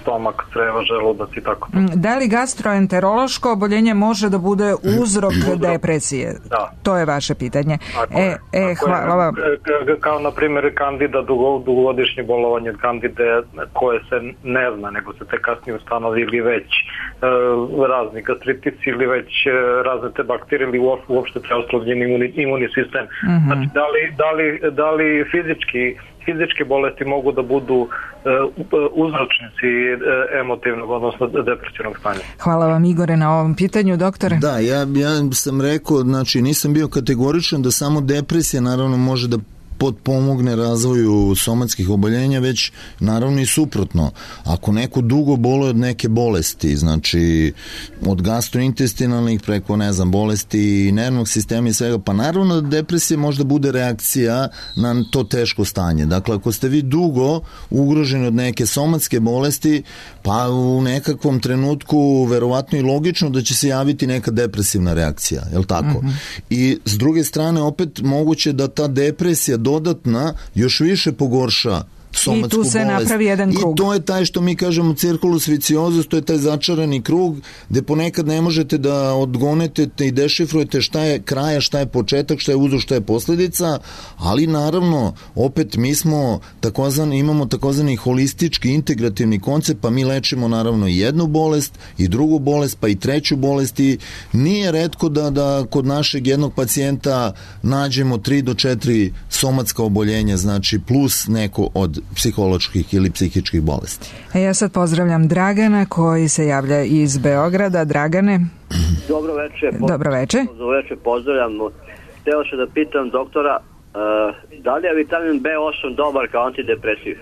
S21: stomak, creva, želudac i tako.
S4: Da li gastroenterološko oboljenje može da bude uzrok depresije?
S21: Da.
S4: To je vaše pitanje. Tako e, je. e, hvala vam.
S21: Kao na primjer kandida, dugo, dugogodišnje bolovanje od kandide koje se ne zna, nego se te kasnije ustanovi, ili već e, razni gastritici, ili već e, razne te bakterije, ili uopšte preoslovljen imuni, imuni sistem. Mm-hmm. Znači, da li, da li, da li fizički fizičke bolesti mogu da budu uh, uzročnici uh, emotivnog, odnosno depresivnog stanja.
S4: Hvala vam, Igore, na ovom pitanju, doktore.
S5: Da, ja, ja sam rekao, znači nisam bio kategoričan da samo depresija naravno može da potpomogne razvoju somatskih oboljenja, već naravno i suprotno. Ako neko dugo boluje od neke bolesti, znači od gastrointestinalnih preko, ne znam, bolesti nervnog sistema i svega, pa naravno da depresija možda bude reakcija na to teško stanje. Dakle, ako ste vi dugo ugroženi od neke somatske bolesti, pa u nekakvom trenutku verovatno i logično da će se javiti neka depresivna reakcija, je li tako? Mm-hmm. I s druge strane opet moguće da ta depresija dodatna još više pogorša somatsku
S4: I tu se
S5: bolest.
S4: napravi jedan krug.
S5: I to je taj što mi kažemo circulus viciosus, to je taj začarani krug gde ponekad ne možete da odgonete i dešifrujete šta je kraja, šta je početak, šta je uzrok, šta je posledica, ali naravno opet mi smo takozvani, imamo takozvani holistički integrativni koncept, pa mi lečimo naravno i jednu bolest i drugu bolest, pa i treću bolest i nije retko da, da kod našeg jednog pacijenta nađemo tri do četiri somatska oboljenja, znači plus neko od psiholoških ili psihičkih bolesti.
S4: E ja sad pozdravljam Dragana koji se javlja iz Beograda. Dragane.
S2: Dobro večer.
S4: Dobro večer.
S2: Dobro večer, pozdravljam. Hteo sam da pitam doktora, uh, da li je vitamin B osam dobar kao antidepresiv?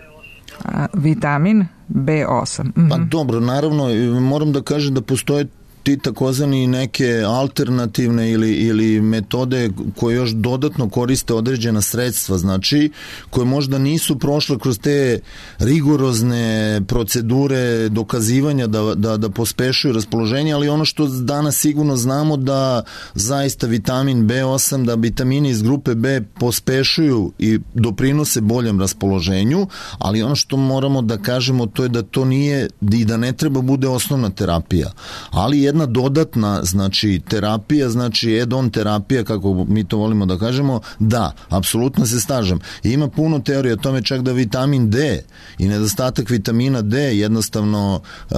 S4: A, vitamin B osam. Mm-hmm.
S5: Pa dobro, naravno, moram da kažem da postoje ti takozvani neke alternativne ili, ili metode koje još dodatno koriste određena sredstva, znači koje možda nisu prošle kroz te rigorozne procedure dokazivanja da, da, da pospešuju raspoloženje, ali ono što danas sigurno znamo da zaista vitamin B osam, da vitamini iz grupe B pospešuju i doprinose boljem raspoloženju, ali ono što moramo da kažemo to je da to nije i da ne treba bude osnovna terapija, ali jedna dodatna, znači, terapija, znači add-on terapija, kako mi to volimo da kažemo, da, apsolutno se slažem. Ima puno teorija o tome čak da vitamin D i nedostatak vitamina D jednostavno uh,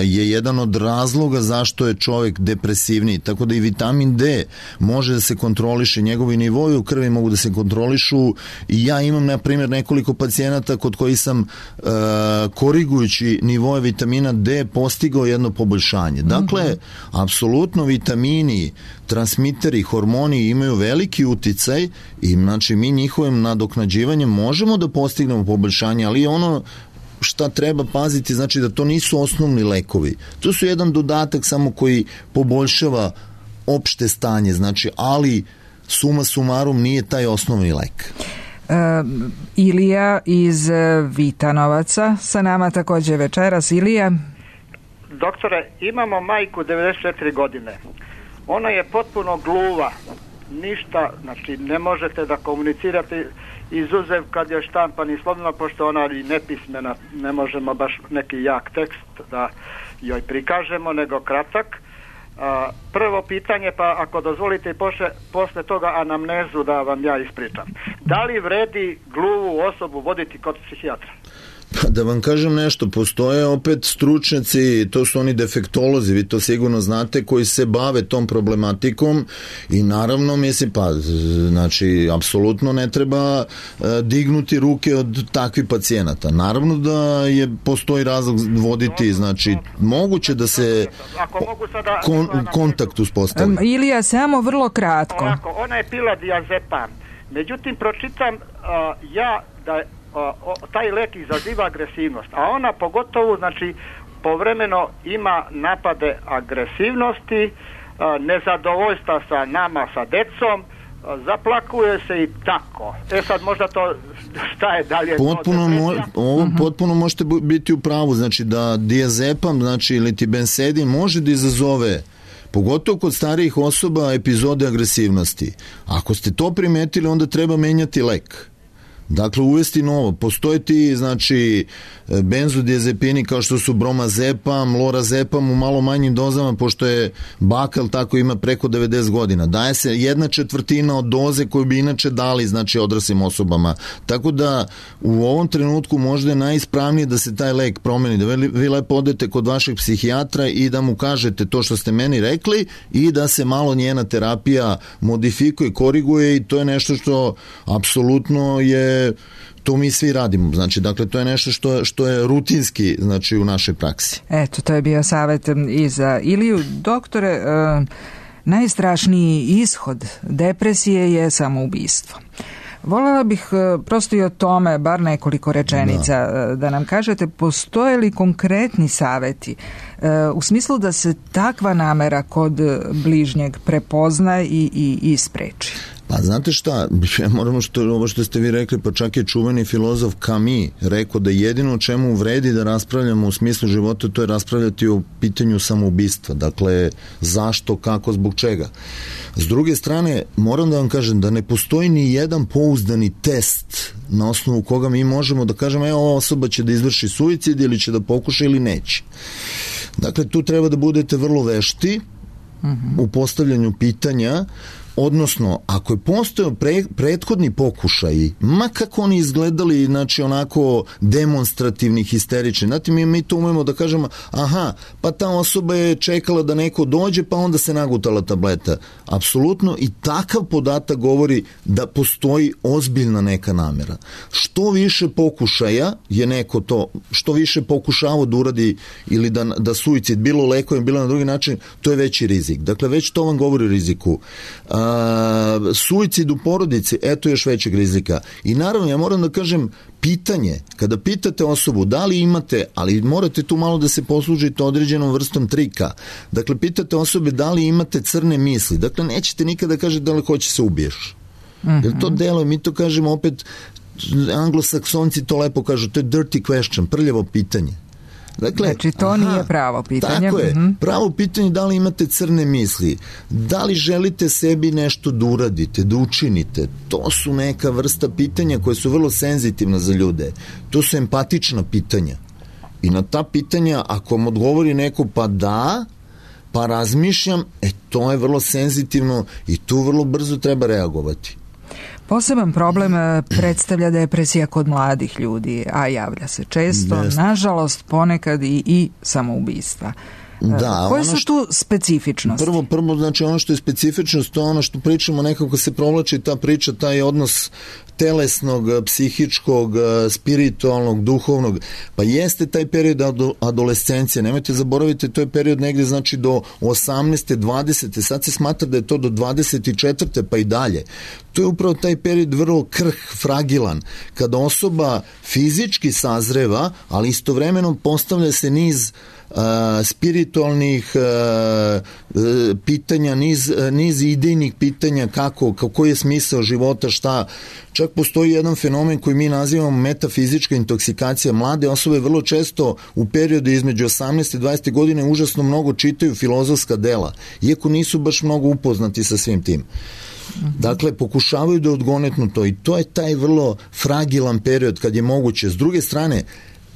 S5: je jedan od razloga zašto je čovjek depresivniji, tako da i vitamin D može da se kontroliše, njegovi nivoi u krvi mogu da se kontrolišu i ja imam, na primjer, nekoliko pacijenata kod koji sam uh, korigujući nivoje vitamina D postigao jedno poboljšanje. Dakle, mm-hmm. apsolutno vitamini, transmiteri, hormoni imaju veliki uticaj i znači mi njihovim nadoknađivanjem možemo da postignemo poboljšanje, ali ono šta treba paziti, znači da to nisu osnovni lekovi. To su jedan dodatak samo koji poboljšava opšte stanje, znači, ali suma sumarum nije taj osnovni lek.
S4: Uh, Ilija iz Vitanovaca sa nama takođe večeras. Ilija.
S22: Doktore, imamo majku devedeset četiri godine. Ona je potpuno gluva. Ništa, znači ne možete da komunicirate izuzev kad je štampan i slovno, pošto ona i nepismena, ne možemo baš neki jak tekst da joj prikažemo, nego kratak. A, prvo pitanje, pa ako dozvolite posle, posle toga anamnezu da vam ja ispričam. Da li vredi gluvu osobu voditi kod psihijatra?
S5: Pa da vam kažem nešto, postoje opet stručnjaci, to su oni defektolozi, vi to sigurno znate, koji se bave tom problematikom i naravno mislim, pa znači apsolutno ne treba uh, dignuti ruke od takvih pacijenata. Naravno da je postoji razlog voditi, znači moguće da se
S22: sada,
S5: kon, kontakt uspostavi.
S4: Um, Ilija, samo vrlo kratko.
S22: Ovako, ona je pila diazepam. Međutim, pročitam uh, ja da O, o, taj lek izaziva agresivnost, a ona pogotovo, znači, povremeno ima napade agresivnosti, a, nezadovoljstva sa nama, sa decom, a, zaplakuje se i tako. E sad možda to šta je dalje?
S5: Potpuno, mo, ovo uh-huh. potpuno možete biti u pravu, znači da diazepam, znači ili ti bensedin može da izazove, pogotovo kod starijih osoba, epizode agresivnosti. Ako ste to primetili, onda treba menjati lek. Dakle, uvesti novo. Postoje ti, znači, benzodiazepini kao što su bromazepam, lorazepam u malo manjim dozama, pošto je bakal tako ima preko devedeset godina. Daje se jedna četvrtina od doze koju bi inače dali, znači, odraslim osobama. Tako da, u ovom trenutku možda je najispravnije da se taj lek promeni, da vi lepo odete kod vašeg psihijatra i da mu kažete to što ste meni rekli i da se malo njena terapija modifikuje, koriguje i to je nešto što apsolutno je to mi svi radimo, znači, dakle, to je nešto što, što je rutinski, znači, u našoj praksi.
S4: Eto, to je bio savjet i za Iliju. Doktore, e, najstrašniji ishod depresije je samoubistvo. Voljela bih e, prosto i o tome bar nekoliko rečenica da, da nam kažete, postoje li konkretni savjeti e, u smislu da se takva namera kod bližnjeg prepozna i, i, i spreči?
S5: Pa znate šta, moramo što, ovo što ste vi rekli, pa čak je čuveni filozof Camus rekao da jedino o čemu vredi da raspravljamo u smislu života, to je raspravljati o pitanju samoubistva. Dakle, zašto, kako, zbog čega. S druge strane, moram da vam kažem da ne postoji ni jedan pouzdani test na osnovu koga mi možemo da kažemo, evo, ova osoba će da izvrši suicid ili će da pokuša ili neće. Dakle, tu treba da budete vrlo vešti u postavljanju pitanja, odnosno, ako je postojao pre, prethodni pokušaj, ma kako oni izgledali, znači onako demonstrativni, histerični, znate, mi, mi to umemo da kažemo, aha, pa ta osoba je čekala da neko dođe, pa onda se nagutala tableta. Apsolutno, i takav podatak govori da postoji ozbiljna neka namera. Što više pokušaja je neko to, što više pokušava da uradi ili da, da suicid, bilo lekovim, bilo na drugi način, to je veći rizik. Dakle, već to vam govori o riziku. A, Uh, suicid u porodici, eto još većeg rizika. I naravno, ja moram da kažem, pitanje, kada pitate osobu da li imate, ali morate tu malo da se poslužite određenom vrstom trika. Dakle, pitate osobe da li imate crne misli. Dakle, nećete nikada kažete da li hoće se ubiješ. Mm-hmm. Jer to delo, mi to kažemo opet, anglosaksonci to lepo kažu, to je dirty question, prljavo pitanje. Dakle,
S4: znači to aha, nije pravo pitanje.
S5: Tako je, mm-hmm. pravo pitanje da li imate crne misli, da li želite sebi nešto da uradite, da učinite, to su neka vrsta pitanja koje su vrlo senzitivna za ljude, to su empatična pitanja i na ta pitanja ako vam odgovori neko pa da, pa razmišljam, e to je vrlo senzitivno i tu vrlo brzo treba reagovati.
S4: Poseban problem predstavlja depresija kod mladih ljudi, a javlja se često, Best. nažalost ponekad i, i samoubistva.
S5: Da,
S4: koje su tu specifičnosti?
S5: Prvo, prvo, znači ono što je specifičnost, to je ono što pričamo, nekako se provlači ta priča, taj odnos telesnog, psihičkog, spiritualnog, duhovnog, pa jeste taj period adolescencije, nemojte zaboraviti, to je period negde znači do osamnaeste, dvadesete, sad se smatra da je to do dvadeset četvrte pa i dalje. To je upravo taj period vrlo krh, fragilan, kada osoba fizički sazreva, ali istovremeno postavlja se niz Uh, spiritualnih uh, uh, pitanja, niz, uh, niz idejnih pitanja kako, kako je smisao života, šta. Čak postoji jedan fenomen koji mi nazivamo metafizička intoksikacija. Mlade osobe vrlo često u periodu između osamnaeste i dvadesete godine užasno mnogo čitaju filozofska dela, iako nisu baš mnogo upoznati sa svim tim. Dakle, pokušavaju da odgonetnu to i to je taj vrlo fragilan period kad je moguće. S druge strane,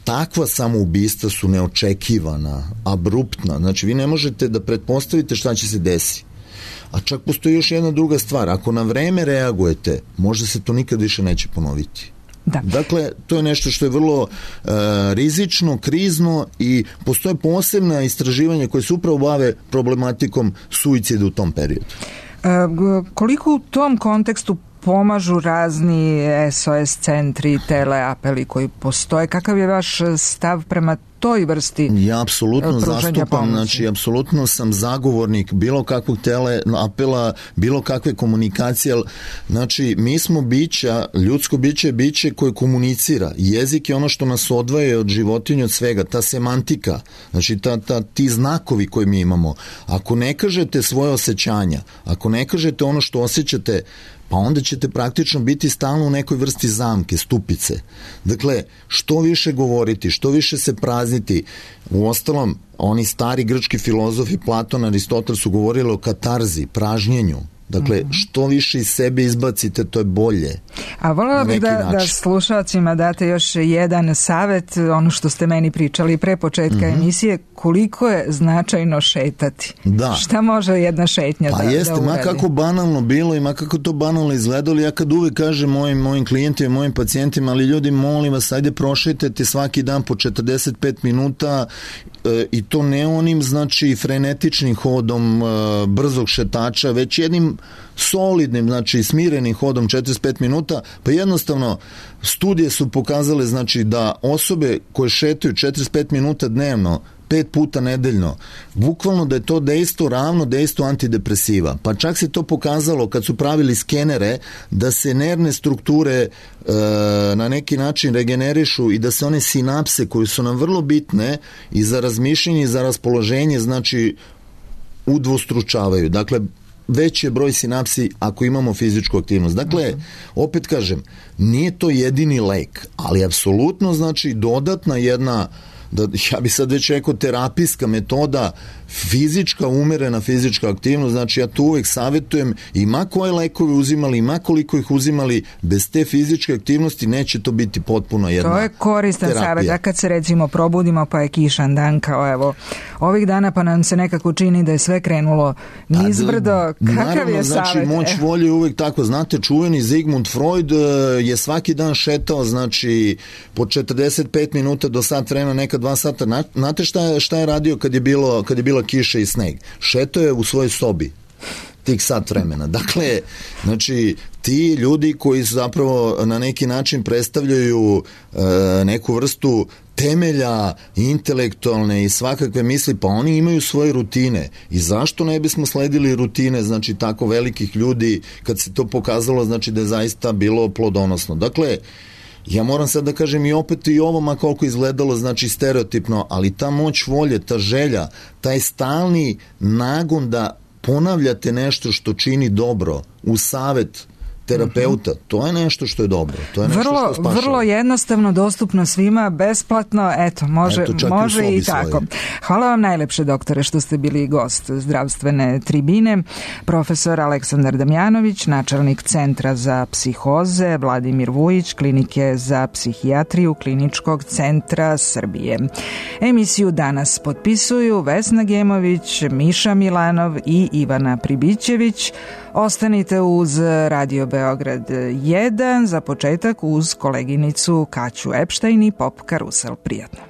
S5: takva samoubistva su neočekivana, abruptna, znači vi ne možete da pretpostavite šta će se desiti. A čak postoji još jedna druga stvar, ako na vreme reagujete, možda se to nikad više neće ponoviti.
S4: Da.
S5: Dakle, to je nešto što je vrlo uh, rizično, krizno i postoje posebna istraživanja koje se upravo bave problematikom suicida u tom periodu.
S4: E, koliko u tom kontekstu pomažu razni S O S centri, teleapeli koji postoje? Kakav je vaš stav prema toj vrsti pružanja pomoći?
S5: Ja apsolutno zastupam, znači apsolutno sam zagovornik bilo kakvog teleapela, bilo kakve komunikacije. Znači, mi smo bića, ljudsko biće je biće koje komunicira. Jezik je ono što nas odvaja od životinja, od svega, ta semantika, znači ta, ta, ti znakovi koje mi imamo. Ako ne kažete svoje osjećanja, ako ne kažete ono što osjećate, pa onda ćete praktično biti stalno u nekoj vrsti zamke, stupice. Dakle, što više govoriti, što više se prazniti. U ostalom, oni stari grčki filozofi, Platon, Aristotel su govorili o katarzi, pražnjenju. Dakle, što više iz sebe izbacite, to je bolje.
S4: A voljela bih da, da slušalcima date još jedan savet, ono što ste meni pričali pre početka mm-hmm. emisije, koliko je značajno šetati.
S5: Da.
S4: Šta može jedna šetnja
S5: pa
S4: da,
S5: jeste,
S4: da uradi?
S5: ma kako banalno bilo i ma kako to banalno izgledalo, ja kad uvek kažem mojim, mojim klijentima, mojim pacijentima, ali ljudi, molim vas, ajde prošetajte svaki dan po četrdeset pet minuta e, i to ne onim, znači, frenetičnim hodom e, brzog šetača, već jednim solidnim, znači smirenim hodom četrdeset pet minuta, pa jednostavno studije su pokazale, znači, da osobe koje šetaju četrdeset pet minuta dnevno, pet puta nedeljno, bukvalno da je to dejstvo ravno dejstvo antidepresiva. Pa čak se to pokazalo kad su pravili skenere da se nervne strukture e, na neki način regenerišu i da se one sinapse koje su nam vrlo bitne i za razmišljanje i za raspoloženje, znači udvostručavaju. Dakle, veći je broj sinapsi ako imamo fizičku aktivnost. Dakle, opet kažem, nije to jedini lek, ali apsolutno znači dodatna jedna, da, ja bi sad već rekao, terapijska metoda, fizička, umerena fizička aktivnost, znači ja tu uvek savjetujem, ima koje lekove uzimali, ima koliko ih uzimali, bez te fizičke aktivnosti neće to biti potpuno jedna terapija. To je koristan savjet, da kad se recimo probudimo pa je kišan dan, kao evo ovih dana pa nam se nekako čini da je sve krenulo nizbrdo, kakav naravno, je savjet? Znači moć volje je uvek tako, znate, čuveni Sigmund Freud je svaki dan šetao, znači po četrdeset pet minuta do sat vremena, neka dva sata. Znate šta je, šta je radio kad je bilo, kad je bila kiša i sneg? Šeto je u svojoj sobi tih sat vremena. Dakle, znači, ti ljudi koji su zapravo na neki način predstavljaju e, neku vrstu temelja intelektualne i svakakve misli, pa oni imaju svoje rutine. I zašto ne bismo sledili rutine, znači, tako velikih ljudi, kad se to pokazalo, znači, da je zaista bilo plodonosno. Dakle, ja moram sad da kažem i opet i ovo, ma koliko izgledalo, znači stereotipno, ali ta moć volje, ta želja, taj stalni nagon da ponavljate nešto što čini dobro u savet terapeuta, to je nešto što je dobro. To je nešto
S4: vrlo,
S5: što spašava.
S4: Vrlo jednostavno, dostupno svima, besplatno, eto, može, eto, može i, i tako. Svoje. Hvala vam najlepše, doktore, što ste bili gost zdravstvene tribine. Profesor Aleksandar Damjanović, načelnik Centra za psihoze, Vladimir Vujić, Klinike za psihijatriju Kliničkog centra Srbije. Emisiju danas potpisuju Vesna Gemović, Miša Milanov i Ivana Pribićević. Ostanite uz Radio Beograd jedan, za početak uz koleginicu Kaću Epštajn i Pop Karusel. Prijatno.